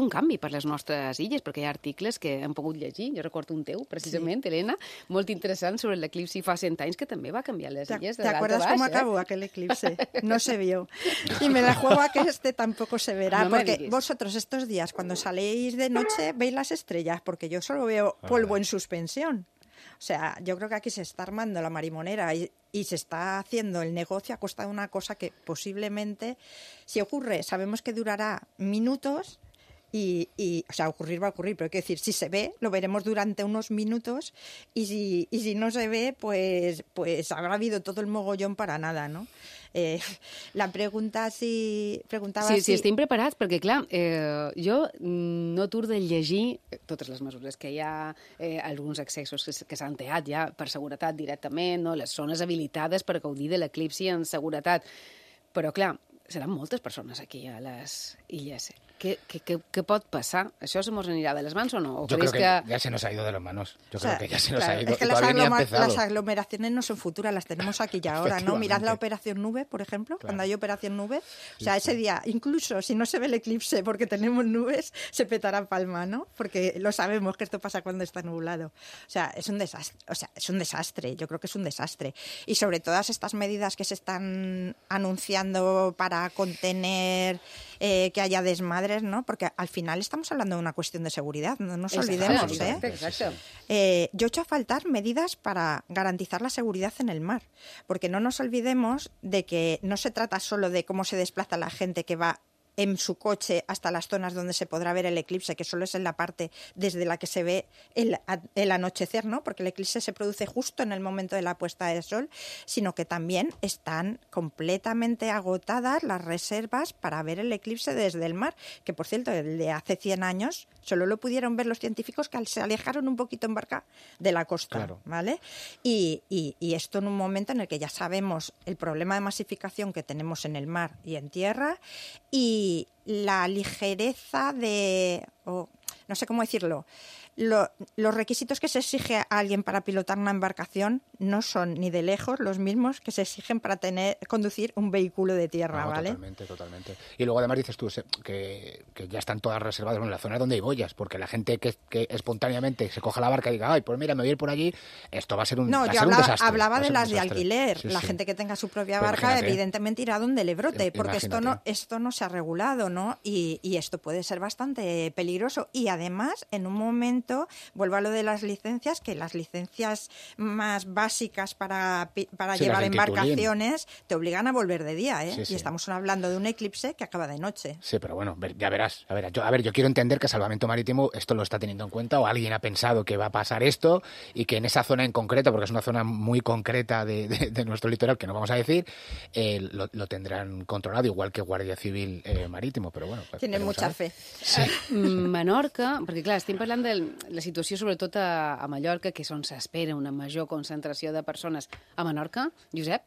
canvi per les nostres illes, perquè hi ha articles que hem pogut llegir. Jo recordo un teu, precisament, sí, Helena, molt interessant sobre l'eclipsi fa 100 anys, que també va canviar les illes de dalt a baix. ¿Te acuerdas cómo acabó aquel eclipse? No se vio. Y me la juego a que este tampoco se verá, no, porque vosotros estos días, cuando saléis de noche, veis las estrellas, porque yo solo veo polvo en suspensión. O sea, yo creo que aquí se está armando la marimonera y se está haciendo el negocio a costa de una cosa que posiblemente, si ocurre, sabemos que durará minutos y o sea, ocurrir va a ocurrir, pero hay que decir, si se ve, lo veremos durante unos minutos y si no se ve, pues habrá habido todo el mogollón para nada, ¿no? La pregunta preguntava si estem preparats, perquè clar, jo no aturo de llegir totes les mesures que hi ha, alguns accessos que s'han teat ja per seguretat directament, no? Les zones habilitades per gaudir de l'eclipsi en seguretat, però clar, seran moltes persones aquí a les illes. ¿Qué pot passar? ¿Això se nos anirà de les mans o no? ¿O yo creo que ya se nos ha ido de las manos. Yo creo que ya se nos ha ido. Es que las aglomeraciones no son futuras, las tenemos aquí ya ahora, ¿no? Mirad la Operación Nube, por ejemplo, cuando hay Operación Nube. O sea, ese día, incluso si no se ve el eclipse porque tenemos nubes, se petará Palma, ¿no? Porque lo sabemos que esto pasa cuando está nublado. O sea, es un desastre. O sea, es un desastre. Yo creo que es un desastre. Y sobre todas estas medidas que se están anunciando para contener que haya desmadre, padres, ¿no? Porque al final estamos hablando de una cuestión de seguridad, no nos olvidemos, Exacto. Yo echo a faltar medidas para garantizar la seguridad en el mar, porque no nos olvidemos de que no se trata solo de cómo se desplaza la gente que va en su coche hasta las zonas donde se podrá ver el eclipse, que solo es en la parte desde la que se ve el anochecer, ¿no? Porque el eclipse se produce justo en el momento de la puesta de sol, sino que también están completamente agotadas las reservas para ver el eclipse desde el mar, que por cierto, el de hace 100 años solo lo pudieron ver los científicos que se alejaron un poquito en barca de la costa, claro. ¿Vale? Y esto en un momento en el que ya sabemos el problema de masificación que tenemos en el mar y en tierra, y la ligereza de, no sé cómo decirlo, los requisitos que se exige a alguien para pilotar una embarcación no son ni de lejos los mismos que se exigen para conducir un vehículo de tierra, ¿vale? Totalmente. Y luego además dices tú que ya están todas reservadas en la zona donde hay boyas, porque la gente que espontáneamente se coja la barca y diga, ay, pues mira, me voy a ir por allí, esto va a ser un desastre. No, yo hablaba de las de alquiler. La gente que tenga su propia barca, evidentemente irá donde le brote, porque esto no se ha regulado, ¿no? Y esto puede ser bastante peligroso. Y además, en un momento, vuelvo a lo de las licencias, que las licencias más básicas para llevar embarcaciones te obligan a volver de día, ¿eh? Y estamos hablando de un eclipse que acaba de noche. Sí, pero bueno, ya verás. Yo quiero entender que Salvamento Marítimo esto lo está teniendo en cuenta, o alguien ha pensado que va a pasar esto y que en esa zona en concreto, porque es una zona muy concreta de nuestro litoral, que no vamos a decir, lo tendrán controlado, igual que Guardia Civil Marítimo, però bueno. Tienen mucha fe. Sí. Menorca, perquè clar, estem parlant de la situació sobretot a Mallorca, que és on s'espera una major concentració de persones. A Menorca, Josep?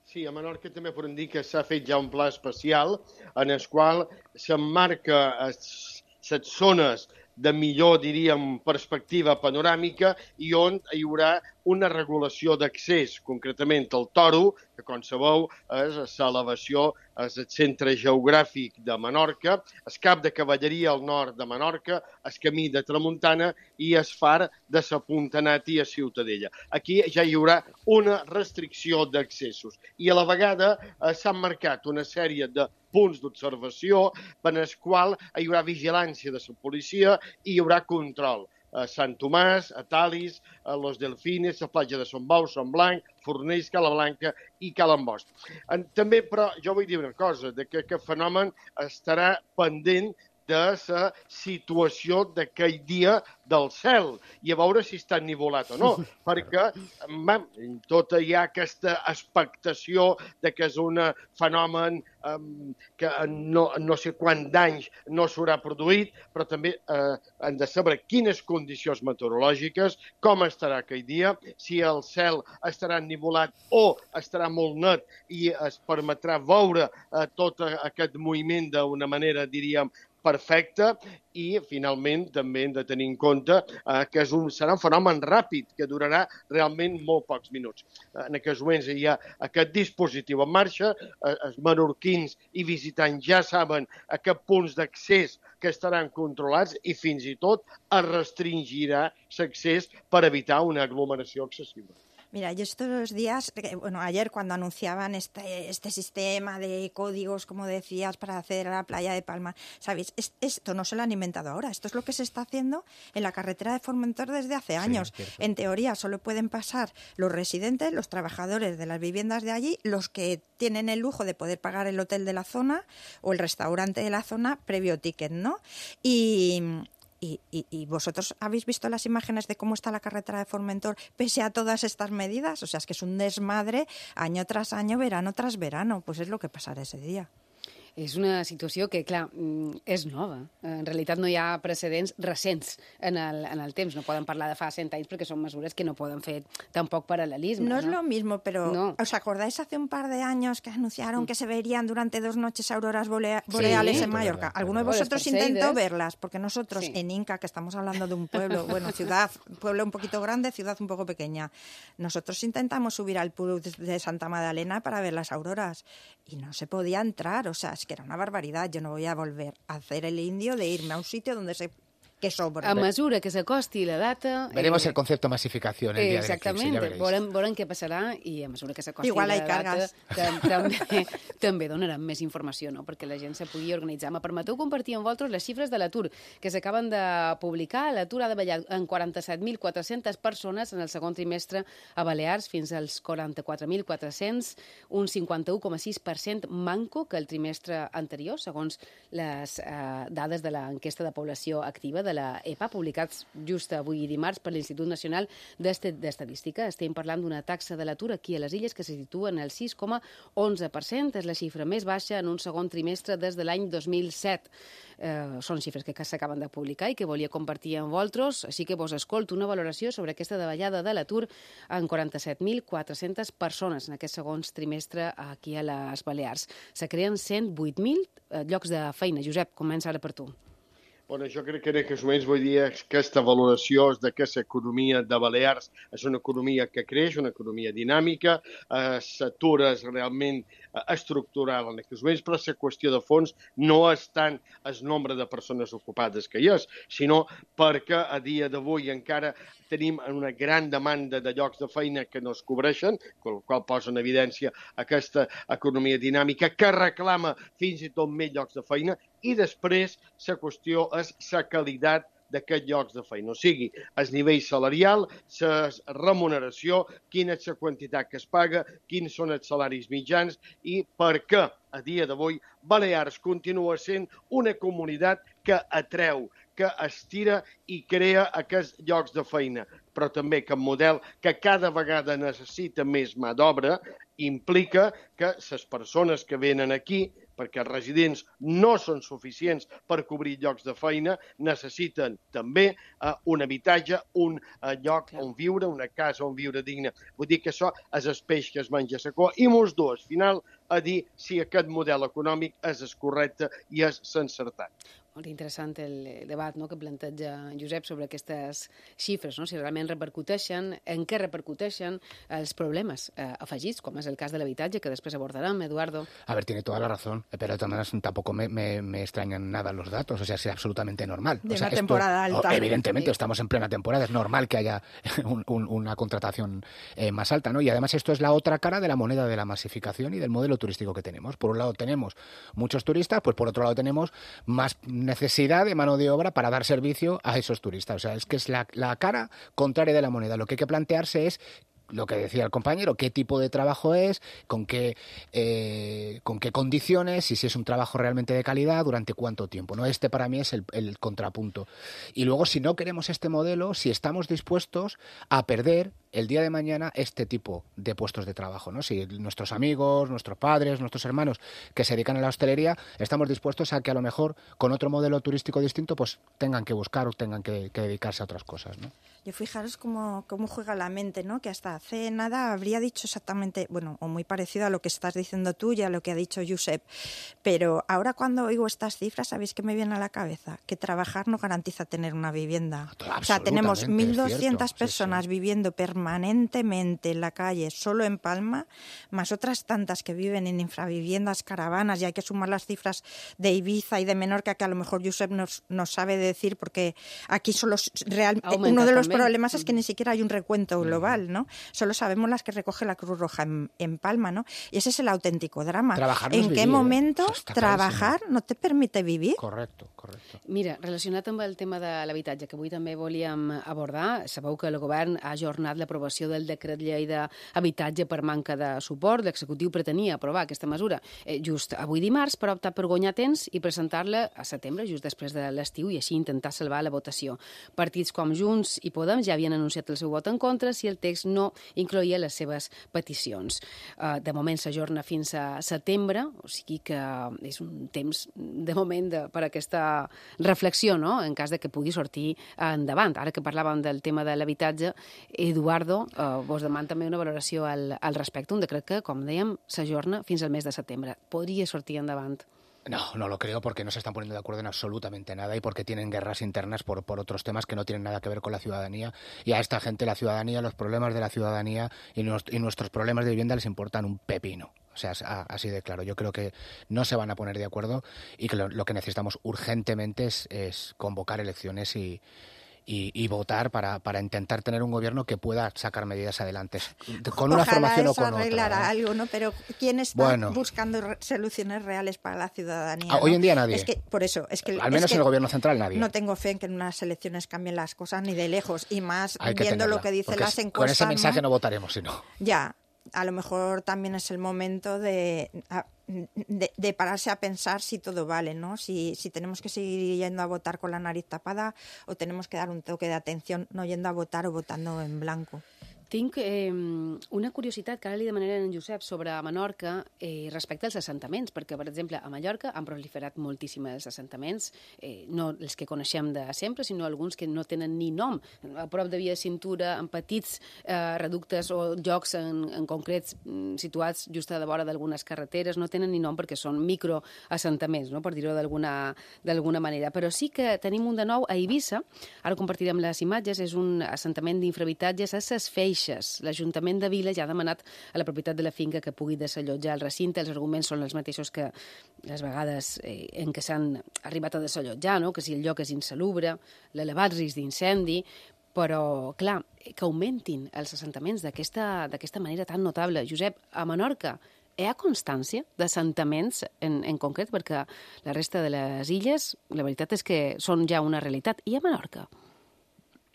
Sí, a Menorca també podem dir que s'ha fet ja un pla especial en el qual s'emmarca les zones de millor, diríem, perspectiva panoràmica i on hi haurà una regulació d'accés, concretament al Toro, que com sabeu és l'elevació, és el centre geogràfic de Menorca, el cap de cavalleria al nord de Menorca, el camí de Tramuntana i el far de la Puntanati a Ciutadella. Aquí ja hi haurà una restricció d'accessos i a la vegada s'han marcat una sèrie de punts d'observació per als quals hi haurà vigilància de la policia i hi haurà control. A Sant Tomàs, a Talis, a Los Delfines, a platja de Son Bau, Son Blanc, Fornells, Cala Blanca i Cala Ambost. També, però, jo vull dir una cosa, que aquest fenomen estarà pendent de la situació d'aquell dia del cel i a veure si està ennivolat o no, perquè tota hi ha aquesta expectació de que és un fenomen que no sé quant d'anys no s'haurà produït, però també hem de saber quines condicions meteorològiques, com estarà aquell dia, si el cel estarà ennivolat o estarà molt net i es permetrà veure tot aquest moviment d'una manera, diríem, perfecte, i finalment també hem de tenir en compte que serà un fenomen ràpid que durarà realment molt pocs minuts. En aquests moments hi ha aquest dispositiu en marxa, els menorquins i visitants ja saben a què punts d'accés que estaran controlats i fins i tot es restringirà l'accés per evitar una aglomeració excessiva. Mira, yo estos días, ayer cuando anunciaban este sistema de códigos, como decías, para acceder a la playa de Palma, ¿sabéis? Esto no se lo han inventado ahora, esto es lo que se está haciendo en la carretera de Formentor desde hace años. Sí, en teoría solo pueden pasar los residentes, los trabajadores de las viviendas de allí, los que tienen el lujo de poder pagar el hotel de la zona o el restaurante de la zona previo ticket, ¿no? ¿Y vosotros habéis visto las imágenes de cómo está la carretera de Formentor pese a todas estas medidas? O sea, es que es un desmadre año tras año, verano tras verano. Pues es lo que pasarà ese dia. És una situació que, clar, és nova. En realitat no hi ha precedents recents en el temps. No poden parlar de fa 100 anys perquè són mesures que no poden fer tampoc paral·lelisme. No es lo mismo, pero ¿os acordáis hace un par de años que anunciaron que se verían durante 2 noches auroras boreales en Mallorca? ¿Alguno de vosotros intentó verlas? Porque nosotros en Inca, que estamos hablando de un pueblo, pueblo un poquito grande, ciudad un poco pequeña, nosotros intentamos subir al Puig de Santa Magdalena para ver las auroras y no se podía entrar, o sea, es que era una barbaridad. Yo no voy a volver a hacer el indio de irme a un sitio donde se que sobra. A mesura que s'acosti la data... Veremos el concepto masificación el día del eclipse, exactament, ja veréis. veurem què passarà i a mesura que s'acosti Igual la hay data cargas. també donarem més informació, no?, perquè la gent se pugui organitzar. Me permeteu compartir amb vosaltres les xifres de l'atur que s'acaben de publicar. L'atur ha davallat en 47.400 persones en el segon trimestre a Balears fins als 44.400, un 51,6% manco que el trimestre anterior, segons les dades de l'enquesta de població activa de la EPA, publicats just avui dimarts per l'Institut Nacional d'Estadística. Estem parlant d'una taxa de l'atur aquí a les Illes que se situa en el 6,11%. És la xifra més baixa en un segon trimestre des de l'any 2007. Són xifres que s'acaben de publicar i que volia compartir amb vosaltres, així que vos escolto una valoració sobre aquesta davallada de l'atur en 47.400 persones en aquest segon trimestre aquí a les Balears. Se creen 108.000 llocs de feina. Josep, comença ara per tu. Bueno, jo crec que en aquests moments vull dir que aquesta valoració és de que l'economia de Balears és una economia que creix, una economia dinàmica, l'atur és realment estructural en aquests moments, però la qüestió de fons no és tant el nombre de persones ocupades que hi és, sinó perquè a dia d'avui encara tenim una gran demanda de llocs de feina que no es cobreixen, el qual posa en evidència aquesta economia dinàmica que reclama fins i tot més llocs de feina, i després la qüestió és la qualitat d'aquests llocs de feina, o sigui, el nivell salarial, la remuneració, quina és la quantitat que es paga, quins són els salaris mitjans i per què a dia d'avui Balears continua sent una comunitat que atreu, que estira i crea aquests llocs de feina, però també que el model que cada vegada necessita més mà d'obra implica que les persones que venen aquí, perquè els residents no són suficients per cobrir llocs de feina, necessiten també un habitatge, un lloc on viure, una casa on viure digne. Vull dir que això és el peix que es menja a la cua i mos du al final a dir si aquest model econòmic és el correcte i és l'encertat. Molt interessant el debat, no?, que planteja Josep sobre aquestes xifres, no?, si realment repercuteixen, en què repercuteixen els problemes afegits, com és el cas de l'habitatge, que després abordarem, Eduardo. A ver, tiene toda la razón, pero de todas maneras tampoco me extrañan nada los datos, o sea, es absolutamente normal. De o sea, una temporada alta. Evidentemente, estamos en plena temporada, es normal que haya una contratación más alta, ¿no? Y además esto es la otra cara de la moneda de la masificación y del modelo turístico que tenemos. Por un lado tenemos muchos turistas, pues por otro lado tenemos más necesidad de mano de obra para dar servicio a esos turistas. O sea, es que es la cara contraria de la moneda. Lo que hay que plantearse es lo que decía el compañero, qué tipo de trabajo es, con qué condiciones, y si es un trabajo realmente de calidad, durante cuánto tiempo, ¿no? Este para mí es el contrapunto. Y luego, si no queremos este modelo, si estamos dispuestos a perder el día de mañana este tipo de puestos de trabajo, ¿no? Si nuestros amigos, nuestros padres, nuestros hermanos que se dedican a la hostelería, estamos dispuestos a que a lo mejor con otro modelo turístico distinto pues tengan que buscar o tengan que dedicarse a otras cosas, ¿no? Yo fijaros cómo juega la mente, ¿no? Que hasta hace nada habría dicho exactamente, bueno, o muy parecido a lo que estás diciendo tú y a lo que ha dicho Josep. Pero ahora cuando oigo estas cifras, ¿sabéis qué me viene a la cabeza? Que trabajar no garantiza tener una vivienda. O sea, tenemos 1.200 personas viviendo permanentemente en la calle, solo en Palma, más otras tantas que viven en infraviviendas, caravanas, y hay que sumar las cifras de Ibiza y de Menorca, que a lo mejor Josep nos sabe decir, porque aquí solo uno de los problemas es que ni siquiera hay un recuento global, ¿no? Solo sabemos las que recoge la Cruz Roja en Palma, ¿no? Y ese es el auténtico drama. ¿En qué momento trabajar no te permite vivir? Correcto. Mira, relacionat amb el tema de l'habitatge, que avui també volíem abordar, sabeu que el govern ha ajornat l'aprovació del decret llei d'habitatge per manca de suport. L'executiu pretenia aprovar aquesta mesura just avui dimarts, però ha optat per guanyar temps i presentar-la a setembre, just després de l'estiu, i així intentar salvar la votació. Partits com Junts i Podem ja havien anunciat el seu vot en contra si el text no incloïa les seves peticions. De moment s'ajorna fins a setembre, o sigui que és un temps de moment per aquesta reflexió, no?, en cas de que pugui sortir endavant. Ara que parlàvem del tema de l'habitatge, Eduardo, vos deman també una valoració al respecte, un decret que, com dèiem, s'ajorna fins al mes de setembre. Podria sortir endavant? No lo creo, porque no se están poniendo de acuerdo en absolutamente nada y porque tienen guerras internas por otros temas que no tienen nada que ver con la ciudadanía. Y a esta gente la ciudadanía, los problemas de la ciudadanía y nuestros problemas de vivienda les importan un pepino. O sea, así de claro. Yo creo que no se van a poner de acuerdo y que lo que necesitamos urgentemente es convocar elecciones y votar para intentar tener un gobierno que pueda sacar medidas adelante, con una formación o con otra. Ojalá eso arreglara algo, ¿no? Pero ¿quién está buscando soluciones reales para la ciudadanía? Hoy en día nadie. Es que, por eso, al menos en el gobierno central nadie. No tengo fe en que en unas elecciones cambien las cosas ni de lejos, y más viendo lo que dicen las encuestas. Con ese mensaje no votaremos, si no. Ya, a lo mejor también es el momento de pararse a pensar si todo vale, ¿no? Si tenemos que seguir yendo a votar con la nariz tapada o tenemos que dar un toque de atención no yendo a votar o votando en blanco. Tinc una curiositat que ara li demanaré a en Josep sobre Menorca respecte als assentaments, perquè, per exemple, a Mallorca han proliferat moltíssims assentaments, no els que coneixem de sempre, sinó alguns que no tenen ni nom. A prop de via de cintura, en petits reductes o llocs en concrets situats just a la vora d'algunes carreteres, no tenen ni nom perquè són microassentaments, no? Per dir-ho d'alguna manera. Però sí que tenim un de nou a Eivissa, ara compartirem les imatges, és un assentament d'infrahabitatges a Ses Feixes. L'Ajuntament de Vila ja ha demanat a la propietat de la finca que pugui desallotjar el recinte. Els arguments són els mateixos que les vegades en què s'han arribat a desallotjar, no? Que si el lloc és insalubre, l'elevat risc d'incendi, però, clar, que augmentin els assentaments d'aquesta manera tan notable. Josep, a Menorca hi ha constància d'assentaments en concret? Perquè la resta de les illes, la veritat és que són ja una realitat. I a Menorca?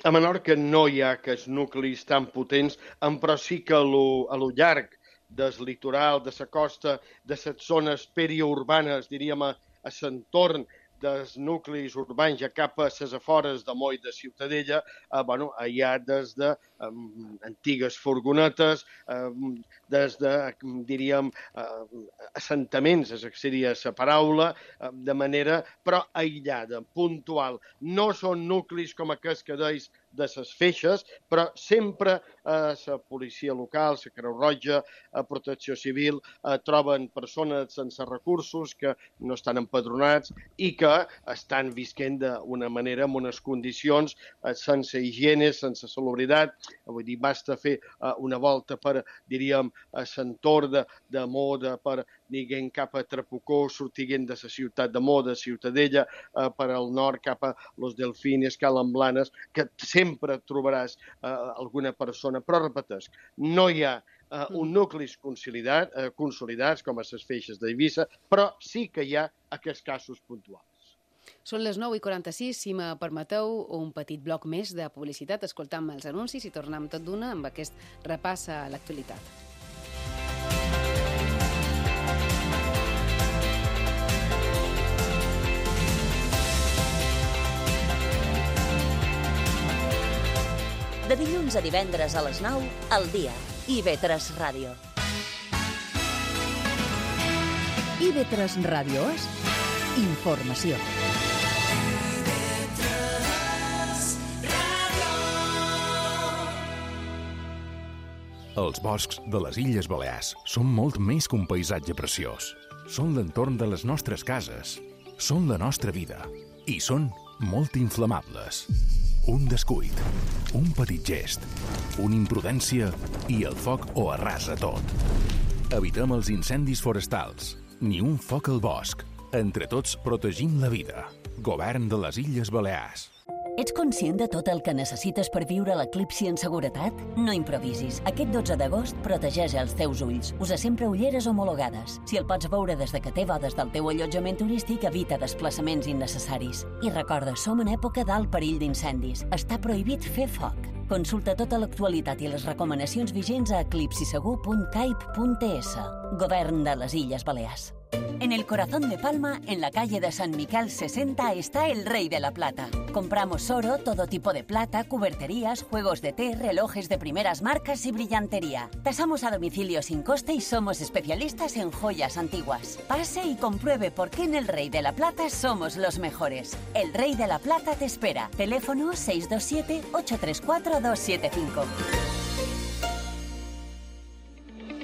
A Menorca no hi ha aquests nuclis tan potents, però sí que a lo llarg del litoral, de la costa, de les zones periurbanes, diríem, a l'entorn dels nuclis urbans ja cap a les afores de Moll de Ciutadella, hi ha des de antigues furgonetes, des de, diríem, assentaments, seria la paraula, de manera, però aïllada, puntual. No són nuclis com aquests que deis de les Feixes, però sempre la policia local, la Creu Roja, Protecció Civil, troben persones sense recursos que no estan empadronats i que estan visquent d'una manera, amb unes condicions sense higiene, sense salubritat. Vull dir, basta fer una volta per, diríem, a l'entorn de Moda, per diguem cap a Trapucó, sortint de la ciutat de Moda, Ciutadella, per al nord cap a Los Delfines, Calamblanes, que sempre trobaràs alguna persona. Però repeteix, no hi ha un nuclis consolidats com a les Feixes d'Eivissa, però sí que hi ha aquests casos puntuals. Són les 9:46, si me permeteu un petit bloc més de publicitat, escoltam els anuncis i tornem tot d'una amb aquest repàs a l'actualitat. De dilluns a divendres a les 9, al dia. IB3 Ràdio. IB3 Ràdio és informació. Els boscs de les Illes Balears són molt més que un paisatge preciós. Són l'entorn de les nostres cases, són la nostra vida i són molt inflamables. Un descuit, un petit gest, una imprudència i el foc ho arrasa tot. Evitem els incendis forestals, ni un foc al bosc. Entre tots protegim la vida. Govern de les Illes Balears. Ets conscient de tot el que necessites per viure l'eclipsi en seguretat? No improvisis. Aquest 12 d'agost protegeix els teus ulls. Usa sempre ulleres homologades. Si el pots veure des de que té bodes del teu allotjament turístic, evita desplaçaments innecessaris. I recorda, som en època d'alt perill d'incendis. Està prohibit fer foc. Consulta tota l'actualitat i les recomanacions vigents a eclipsisegur.caip.es. Govern de les Illes Balears. En el corazón de Palma, en la calle de San Miquel 60, está el Rey de la Plata. Compramos oro, todo tipo de plata, cuberterías, juegos de té, relojes de primeras marcas y brillantería. Tasamos a domicilio sin coste y somos especialistas en joyas antiguas. Pase y compruebe por qué en el Rey de la Plata somos los mejores. El Rey de la Plata te espera. Teléfono 627-834-275.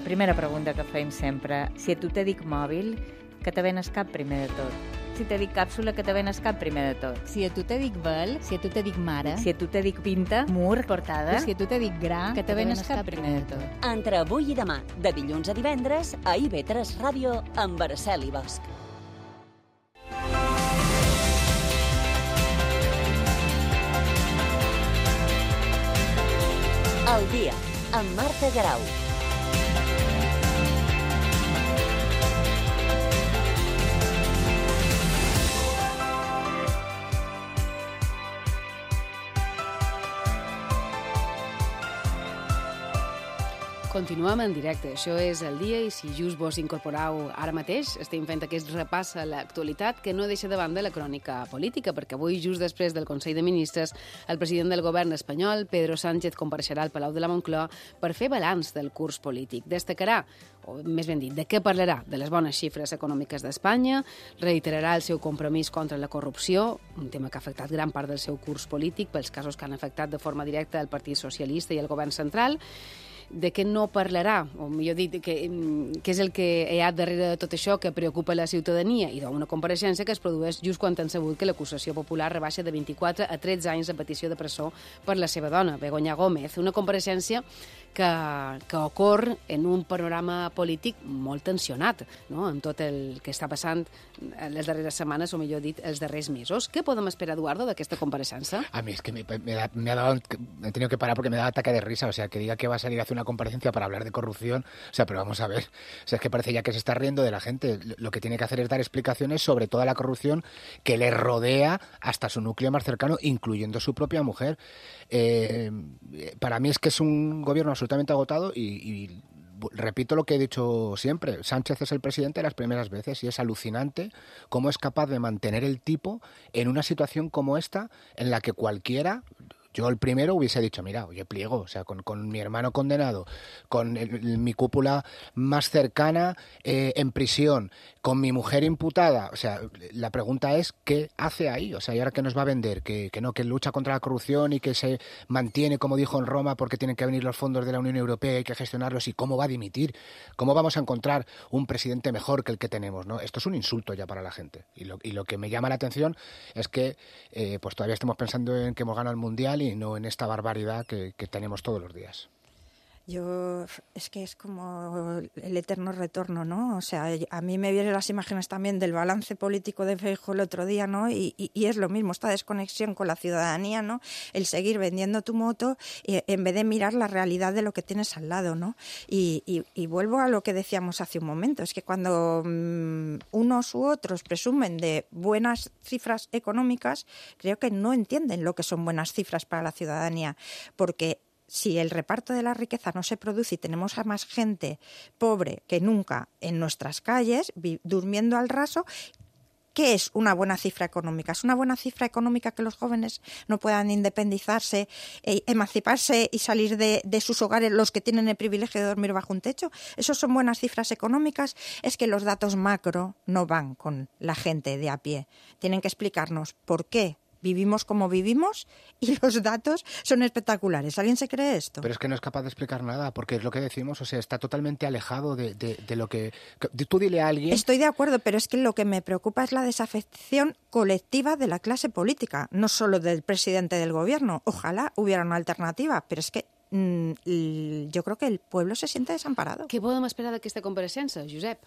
Primera pregunta que fem sempre. Si a tu te dic mòbil, què te ven al cap primer de tot? Si te dic càpsula, que te ven al cap primer de tot. Si a tu te dic vel, si a tu te dic mare, Si a tu te dic pinta, mur, portada, si a tu te dic gra, que te ven al cap primer de tot. Entre avui i demà, de dilluns a divendres, a IB3 Ràdio, amb Araceli Bosch. El dia, amb Marta Garau. Continuem en directe. Això és el dia i si just vos incorporeu ara mateix, estem fent aquest repàs a l'actualitat que no deixa de banda la crònica política, perquè avui, just després del Consell de Ministres, el president del govern espanyol, Pedro Sánchez, compareixerà al Palau de la Moncloa per fer balanç del curs polític. Destacarà, o més ben dit, de què parlarà? De les bones xifres econòmiques d'Espanya, reiterarà el seu compromís contra la corrupció, un tema que ha afectat gran part del seu curs polític pels casos que han afectat de forma directa el Partit Socialista i el govern central, de què no parlarà, o millor dit, què és el que hi ha darrere de tot això que preocupa la ciutadania, i d'una compareixença que es produeix just quan han sabut que l'acusació popular rebaixa de 24 a 13 anys de petició de presó per la seva dona, Begoña Gómez. Una compareixença que ocorre en un panorama polític molt tensionat, no?, amb tot el que està passant les darreres setmanes, o millor dit, els darrers mesos. Què podem esperar, Eduardo, d'aquesta compareixença? A mí es que me ha dado, he tenido que parar porque me da ataque de risa, o sea, que diga que va a salir a hacer una comparecencia para hablar de corrupción, o sea, pero vamos a ver, o sea, es que parece ya que se está riendo de la gente. Lo que tiene que hacer es dar explicaciones sobre toda la corrupción que le rodea hasta su núcleo más cercano, incluyendo su propia mujer. Para mí es que es un gobierno absolutamente agotado y repito lo que he dicho siempre, Sánchez es el presidente de las primeras veces y es alucinante cómo es capaz de mantener el tipo en una situación como esta en la que cualquiera... Yo el primero hubiese dicho, mira, oye, pliego, o sea, con mi hermano condenado, con mi cúpula más cercana en prisión, con mi mujer imputada, o sea, la pregunta es, ¿qué hace ahí? O sea, ¿y ahora qué nos va a vender? Que lucha contra la corrupción y que se mantiene, como dijo en Roma, porque tienen que venir los fondos de la Unión Europea y hay que gestionarlos, ¿y cómo va a dimitir? ¿Cómo vamos a encontrar un presidente mejor que el que tenemos, no? Esto es un insulto ya para la gente. Y lo que me llama la atención es que pues todavía estamos pensando en que hemos ganado el Mundial y no en esta barbaridad que tenemos todos los días. Es que es como el eterno retorno, ¿no? O sea, a mí me vienen las imágenes también del balance político de Feijóo el otro día, ¿no? Y es lo mismo, esta desconexión con la ciudadanía, ¿no? El seguir vendiendo tu moto en vez de mirar la realidad de lo que tienes al lado, ¿no? Y vuelvo a lo que decíamos hace un momento, es que cuando unos u otros presumen de buenas cifras económicas, creo que no entienden lo que son buenas cifras para la ciudadanía, porque si el reparto de la riqueza no se produce y tenemos a más gente pobre que nunca en nuestras calles, durmiendo al raso, ¿qué es una buena cifra económica? ¿Es una buena cifra económica que los jóvenes no puedan independizarse, emanciparse y salir de sus hogares, los que tienen el privilegio de dormir bajo un techo? ¿Esos son buenas cifras económicas? Es que los datos macro no van con la gente de a pie. Tienen que explicarnos por qué vivimos como vivimos y los datos son espectaculares. ¿Alguien se cree esto? Pero es que no es capaz de explicar nada, porque es lo que decimos, o sea, está totalmente alejado de lo que... Tú dile a alguien... Estoy de acuerdo, pero es que lo que me preocupa es la desafección colectiva de la clase política, no solo del presidente del gobierno. Ojalá hubiera una alternativa, pero es que yo creo que el pueblo se siente desamparado. Què podem esperar d'aquesta compareixença, Josep?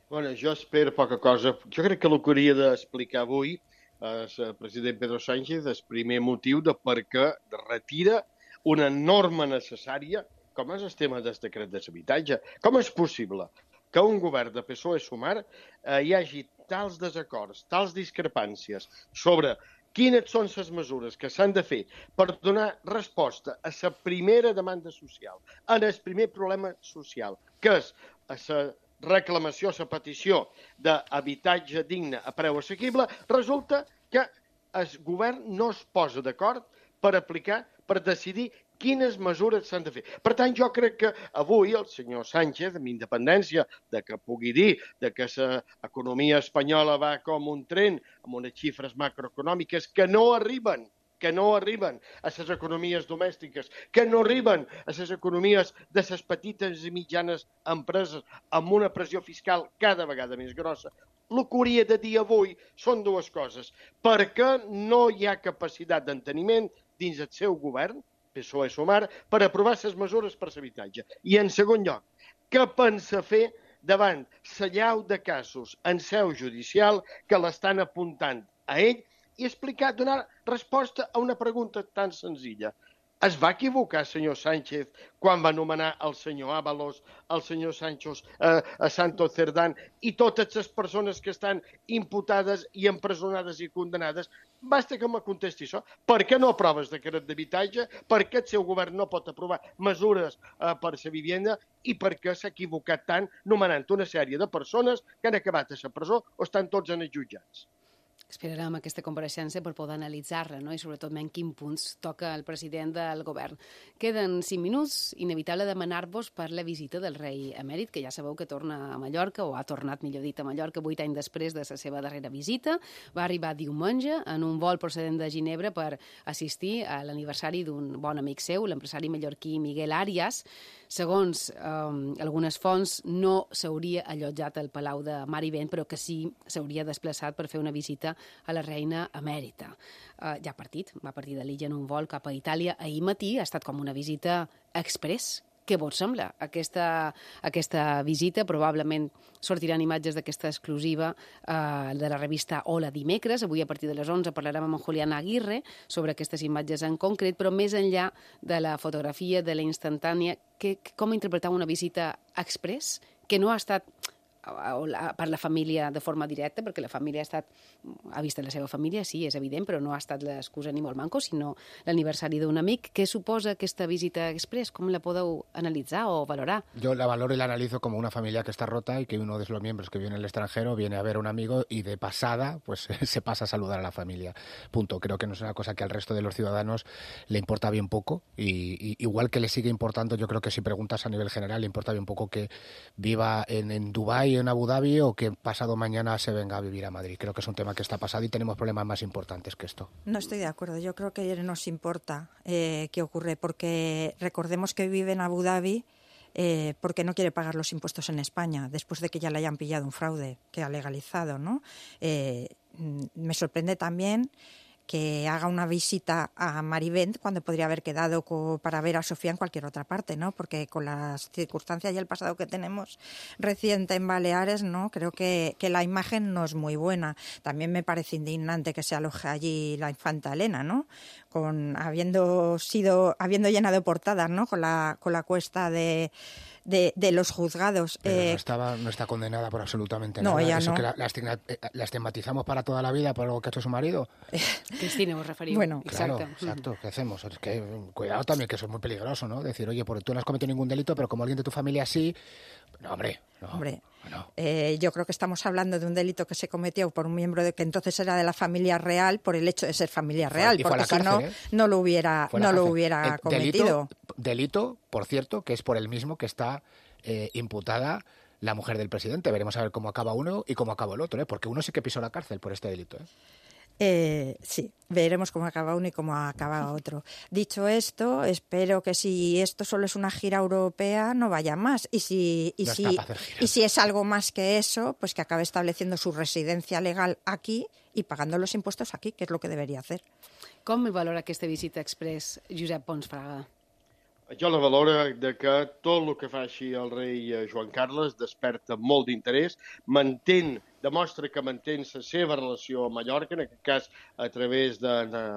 Bueno, jo espero poca cosa. Jo crec que el que hauria d'explicar avui el president Pedro Sánchez és primer motiu de per què retira una norma necessària com és el tema del decret d'habitatge. Com és possible que un govern de PSOE-Sumar hi hagi tals desacords, tals discrepàncies sobre quines són les mesures que s'han de fer per donar resposta a la primera demanda social, en el primer problema social, que és la reclamació, la petició d'habitatge digne a preu assequible, resulta que el govern no es posa d'acord per aplicar, per decidir quines mesures s'han de fer. Per tant, jo crec que avui el senyor Sánchez, amb independència de que pugui dir que l'economia espanyola va com un tren, amb unes xifres macroeconòmiques que no arriben que no arriben a les economies domèstiques, que no arriben a les economies de les petites i mitjanes empreses amb una pressió fiscal cada vegada més grossa. El que hauria de dir avui són dues coses. Per què no hi ha capacitat d'enteniment dins el seu govern, PSOE-Sumar, per aprovar les mesures per l'habitatge? I en segon lloc, què pensa fer davant l'allau de casos en seu judicial que l'estan apuntant a ell i explicar, donar resposta a una pregunta tan senzilla? Es va equivocar, senyor Sánchez, quan va nomenar el senyor Ábalos, el senyor Santos Cerdán i totes les persones que estan imputades i empresonades i condenades? Basta que me contesti això. Per què no aproves decret d'habitatge? Per què el seu govern no pot aprovar mesures per a la vivenda? I per què s'ha equivocat tant nomenant una sèrie de persones que han acabat a la presó o estan tots en els jutjats? Esperarem aquesta compareixença per poder analitzar-la, no? I sobretot en quins punts toca el president del govern. Queden 5 minuts, inevitable demanar-vos per la visita del rei emèrit, que ja sabeu que torna a Mallorca, o ha tornat, millor dit, a Mallorca 8 anys després de la seva darrera visita. Va arribar diumenge en un vol procedent de Ginebra per assistir a l'aniversari d'un bon amic seu, l'empresari mallorquí Miguel Arias. Segons algunes fonts, no s'hauria allotjat al Palau de Mar i Vent, però que sí s'hauria desplaçat per fer una visita a la reina emèrita. Ja va partir de l'illa en un vol cap a Itàlia ahir matí, ha estat com una visita express. Què vos sembla? Aquesta visita, probablement sortiran imatges d'aquesta exclusiva de la revista Hola dimecres. Avui a partir de les 11 parlarem amb en Julián Aguirre sobre aquestes imatges en concret, però més enllà de la fotografia, de la instantània, com interpretar una visita express que no ha estat per la família de forma directa, perquè la família ha vist la seva família, sí, és evident, però no ha estat l'excusa ni molt manco, sinó l'aniversari d'un amic. Què suposa aquesta visita express? Com la podeu analitzar o valorar? Yo la valoro y la analizo como una familia que está rota y que uno de los miembros que vive en el extranjero viene a ver a un amigo y de pasada pues se pasa a saludar a la familia. Punto. Creo que no es una cosa que al resto de los ciudadanos le importa bien poco y igual que le sigue importando, yo creo que si preguntas a nivel general, le importa bien poco que viva en Dubái, en Abu Dhabi o que pasado mañana se venga a vivir a Madrid. Creo que es un tema que está pasado y tenemos problemas más importantes que esto. No estoy de acuerdo. Yo creo que nos importa qué ocurre, porque recordemos que vive en Abu Dhabi porque no quiere pagar los impuestos en España, después de que ya le hayan pillado un fraude que ha legalizado, ¿no? Me sorprende también que haga una visita a Marivent cuando podría haber quedado para ver a Sofía en cualquier otra parte, ¿no? Porque con las circunstancias y el pasado que tenemos reciente en Baleares, ¿no? Creo que la imagen no es muy buena. También me parece indignante que se aloje allí la infanta Elena, ¿no? Habiendo llenado portadas, ¿no? Con la cuesta de los juzgados. Pero no está condenada por absolutamente nada. No, ella Eso no. que la estigmatizamos para toda la vida por lo que ha hecho su marido. Cristina, vos referís. Bueno, claro, exacte. exacto. ¿Qué hacemos? Es que cuidado también, que eso es muy peligroso, ¿no? Decir, oye, porque tú no has cometido ningún delito, pero como alguien de tu familia sí. No, hombre. Yo creo que estamos hablando de un delito que se cometió por un miembro que entonces era de la familia real por el hecho de ser familia real, porque si no, no lo hubiera cometido. Delito, por cierto, que es por el mismo que está imputada la mujer del presidente. Veremos a ver cómo acaba uno y cómo acaba el otro, porque uno sí que pisó la cárcel por este delito. Sí, veremos cómo acaba uno y cómo acaba otro. Dicho esto, espero que si esto solo es una gira europea, no vaya más. Y si es algo más que eso, pues que acabe estableciendo su residencia legal aquí y pagando los impuestos aquí, que es lo que debería hacer. Com valora aquesta visita express, Josep Pons Fraga? Jo la valoro de que tot el que fa així el rei Joan Carles desperta molt d'interès, demostra que manté la seva relació a Mallorca, en aquest cas a través de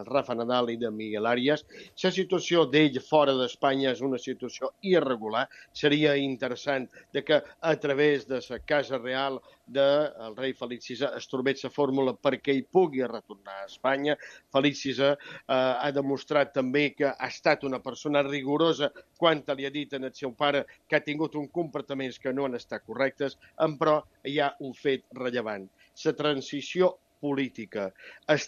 Rafa Nadal i de Miguel Arias. La situació d'ell fora d'Espanya és una situació irregular. Seria interessant de que a través de la Casa Real del rei Felip VI es trobés la fórmula perquè ell pugui retornar a Espanya. Felip VI ha demostrat també que ha estat una persona rigorosa quan li ha dit al seu pare que ha tingut uns comportaments que no han estat correctes, però hi ha un fet rellevant. La transició política, el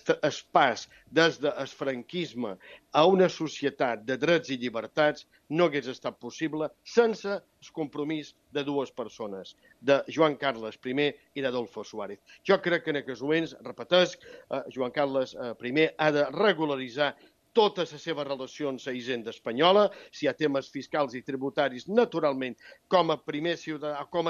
pas des del franquisme a una societat de drets i llibertats no hagués estat possible sense el compromís de dues persones, de Joan Carles I i d'Adolfo Suárez. Jo crec que en aquests moments, repetesc, Joan Carles I ha de regularitzar totes les seves relacions a Hisenda espanyola, si hi ha temes fiscals i tributaris, naturalment, com a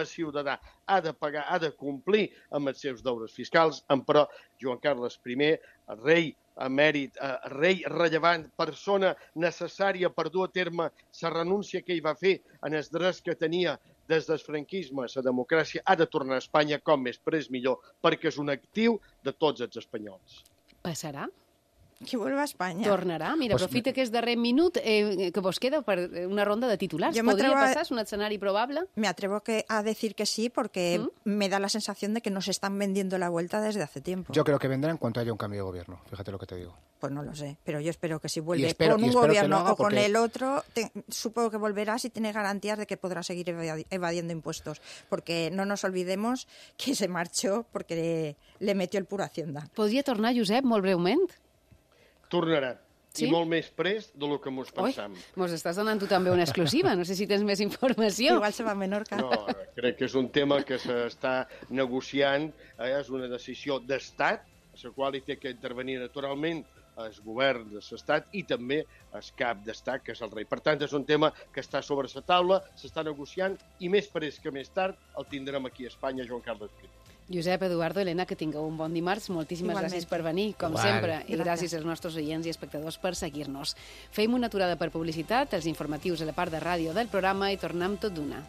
ciutadà, ha de pagar, ha de complir amb els seus deures fiscals, però Joan Carles I, rei emèrit, rei rellevant, persona necessària per dur a terme la renúncia que ell va fer en els drets que tenia des del franquisme a la democràcia, ha de tornar a Espanya com més prest millor, perquè és un actiu de tots els espanyols. Passarà? Que vuelva a España. Tornarà? Mira, aprofita aquest darrer minut que vos queda per una ronda de titulars. ¿Podría pasar? ¿Es un escenario probable? Me atrevo a decir que sí, porque me da la sensación de que nos están vendiendo la vuelta desde hace tiempo. Yo creo que vendrá en cuanto haya un cambio de gobierno, fíjate lo que te digo. Pues no lo sé, pero yo espero que si vuelve con un gobierno o con el otro, supongo que volverá si tiene garantías de que podrá seguir evadiendo impuestos, porque no nos olvidemos que se marchó porque le metió el puro Hacienda. Podria tornar, Josep, molt breument? Tornarà. Sí? I molt més prest del que mos pensam. Mos estàs donant tu també una exclusiva. No sé si tens més informació. Igual se va a Menorca. No, crec que és un tema que s'està negociant. És una decisió d'estat, a la qual hi té que intervenir naturalment el govern de l'Estat i també el cap d'Estat, que és el rei. Per tant, és un tema que està sobre la taula, s'està negociant i més prest que més tard el tindrem aquí a Espanya, Joan Carles I. Josep, Eduardo, Helena, que tingueu un bon dimarts. Moltíssimes gràcies per venir, com sempre. I gràcies als nostres oients i espectadors per seguir-nos. Feim una aturada per publicitat, els informatius a la part de ràdio del programa i tornem tot d'una.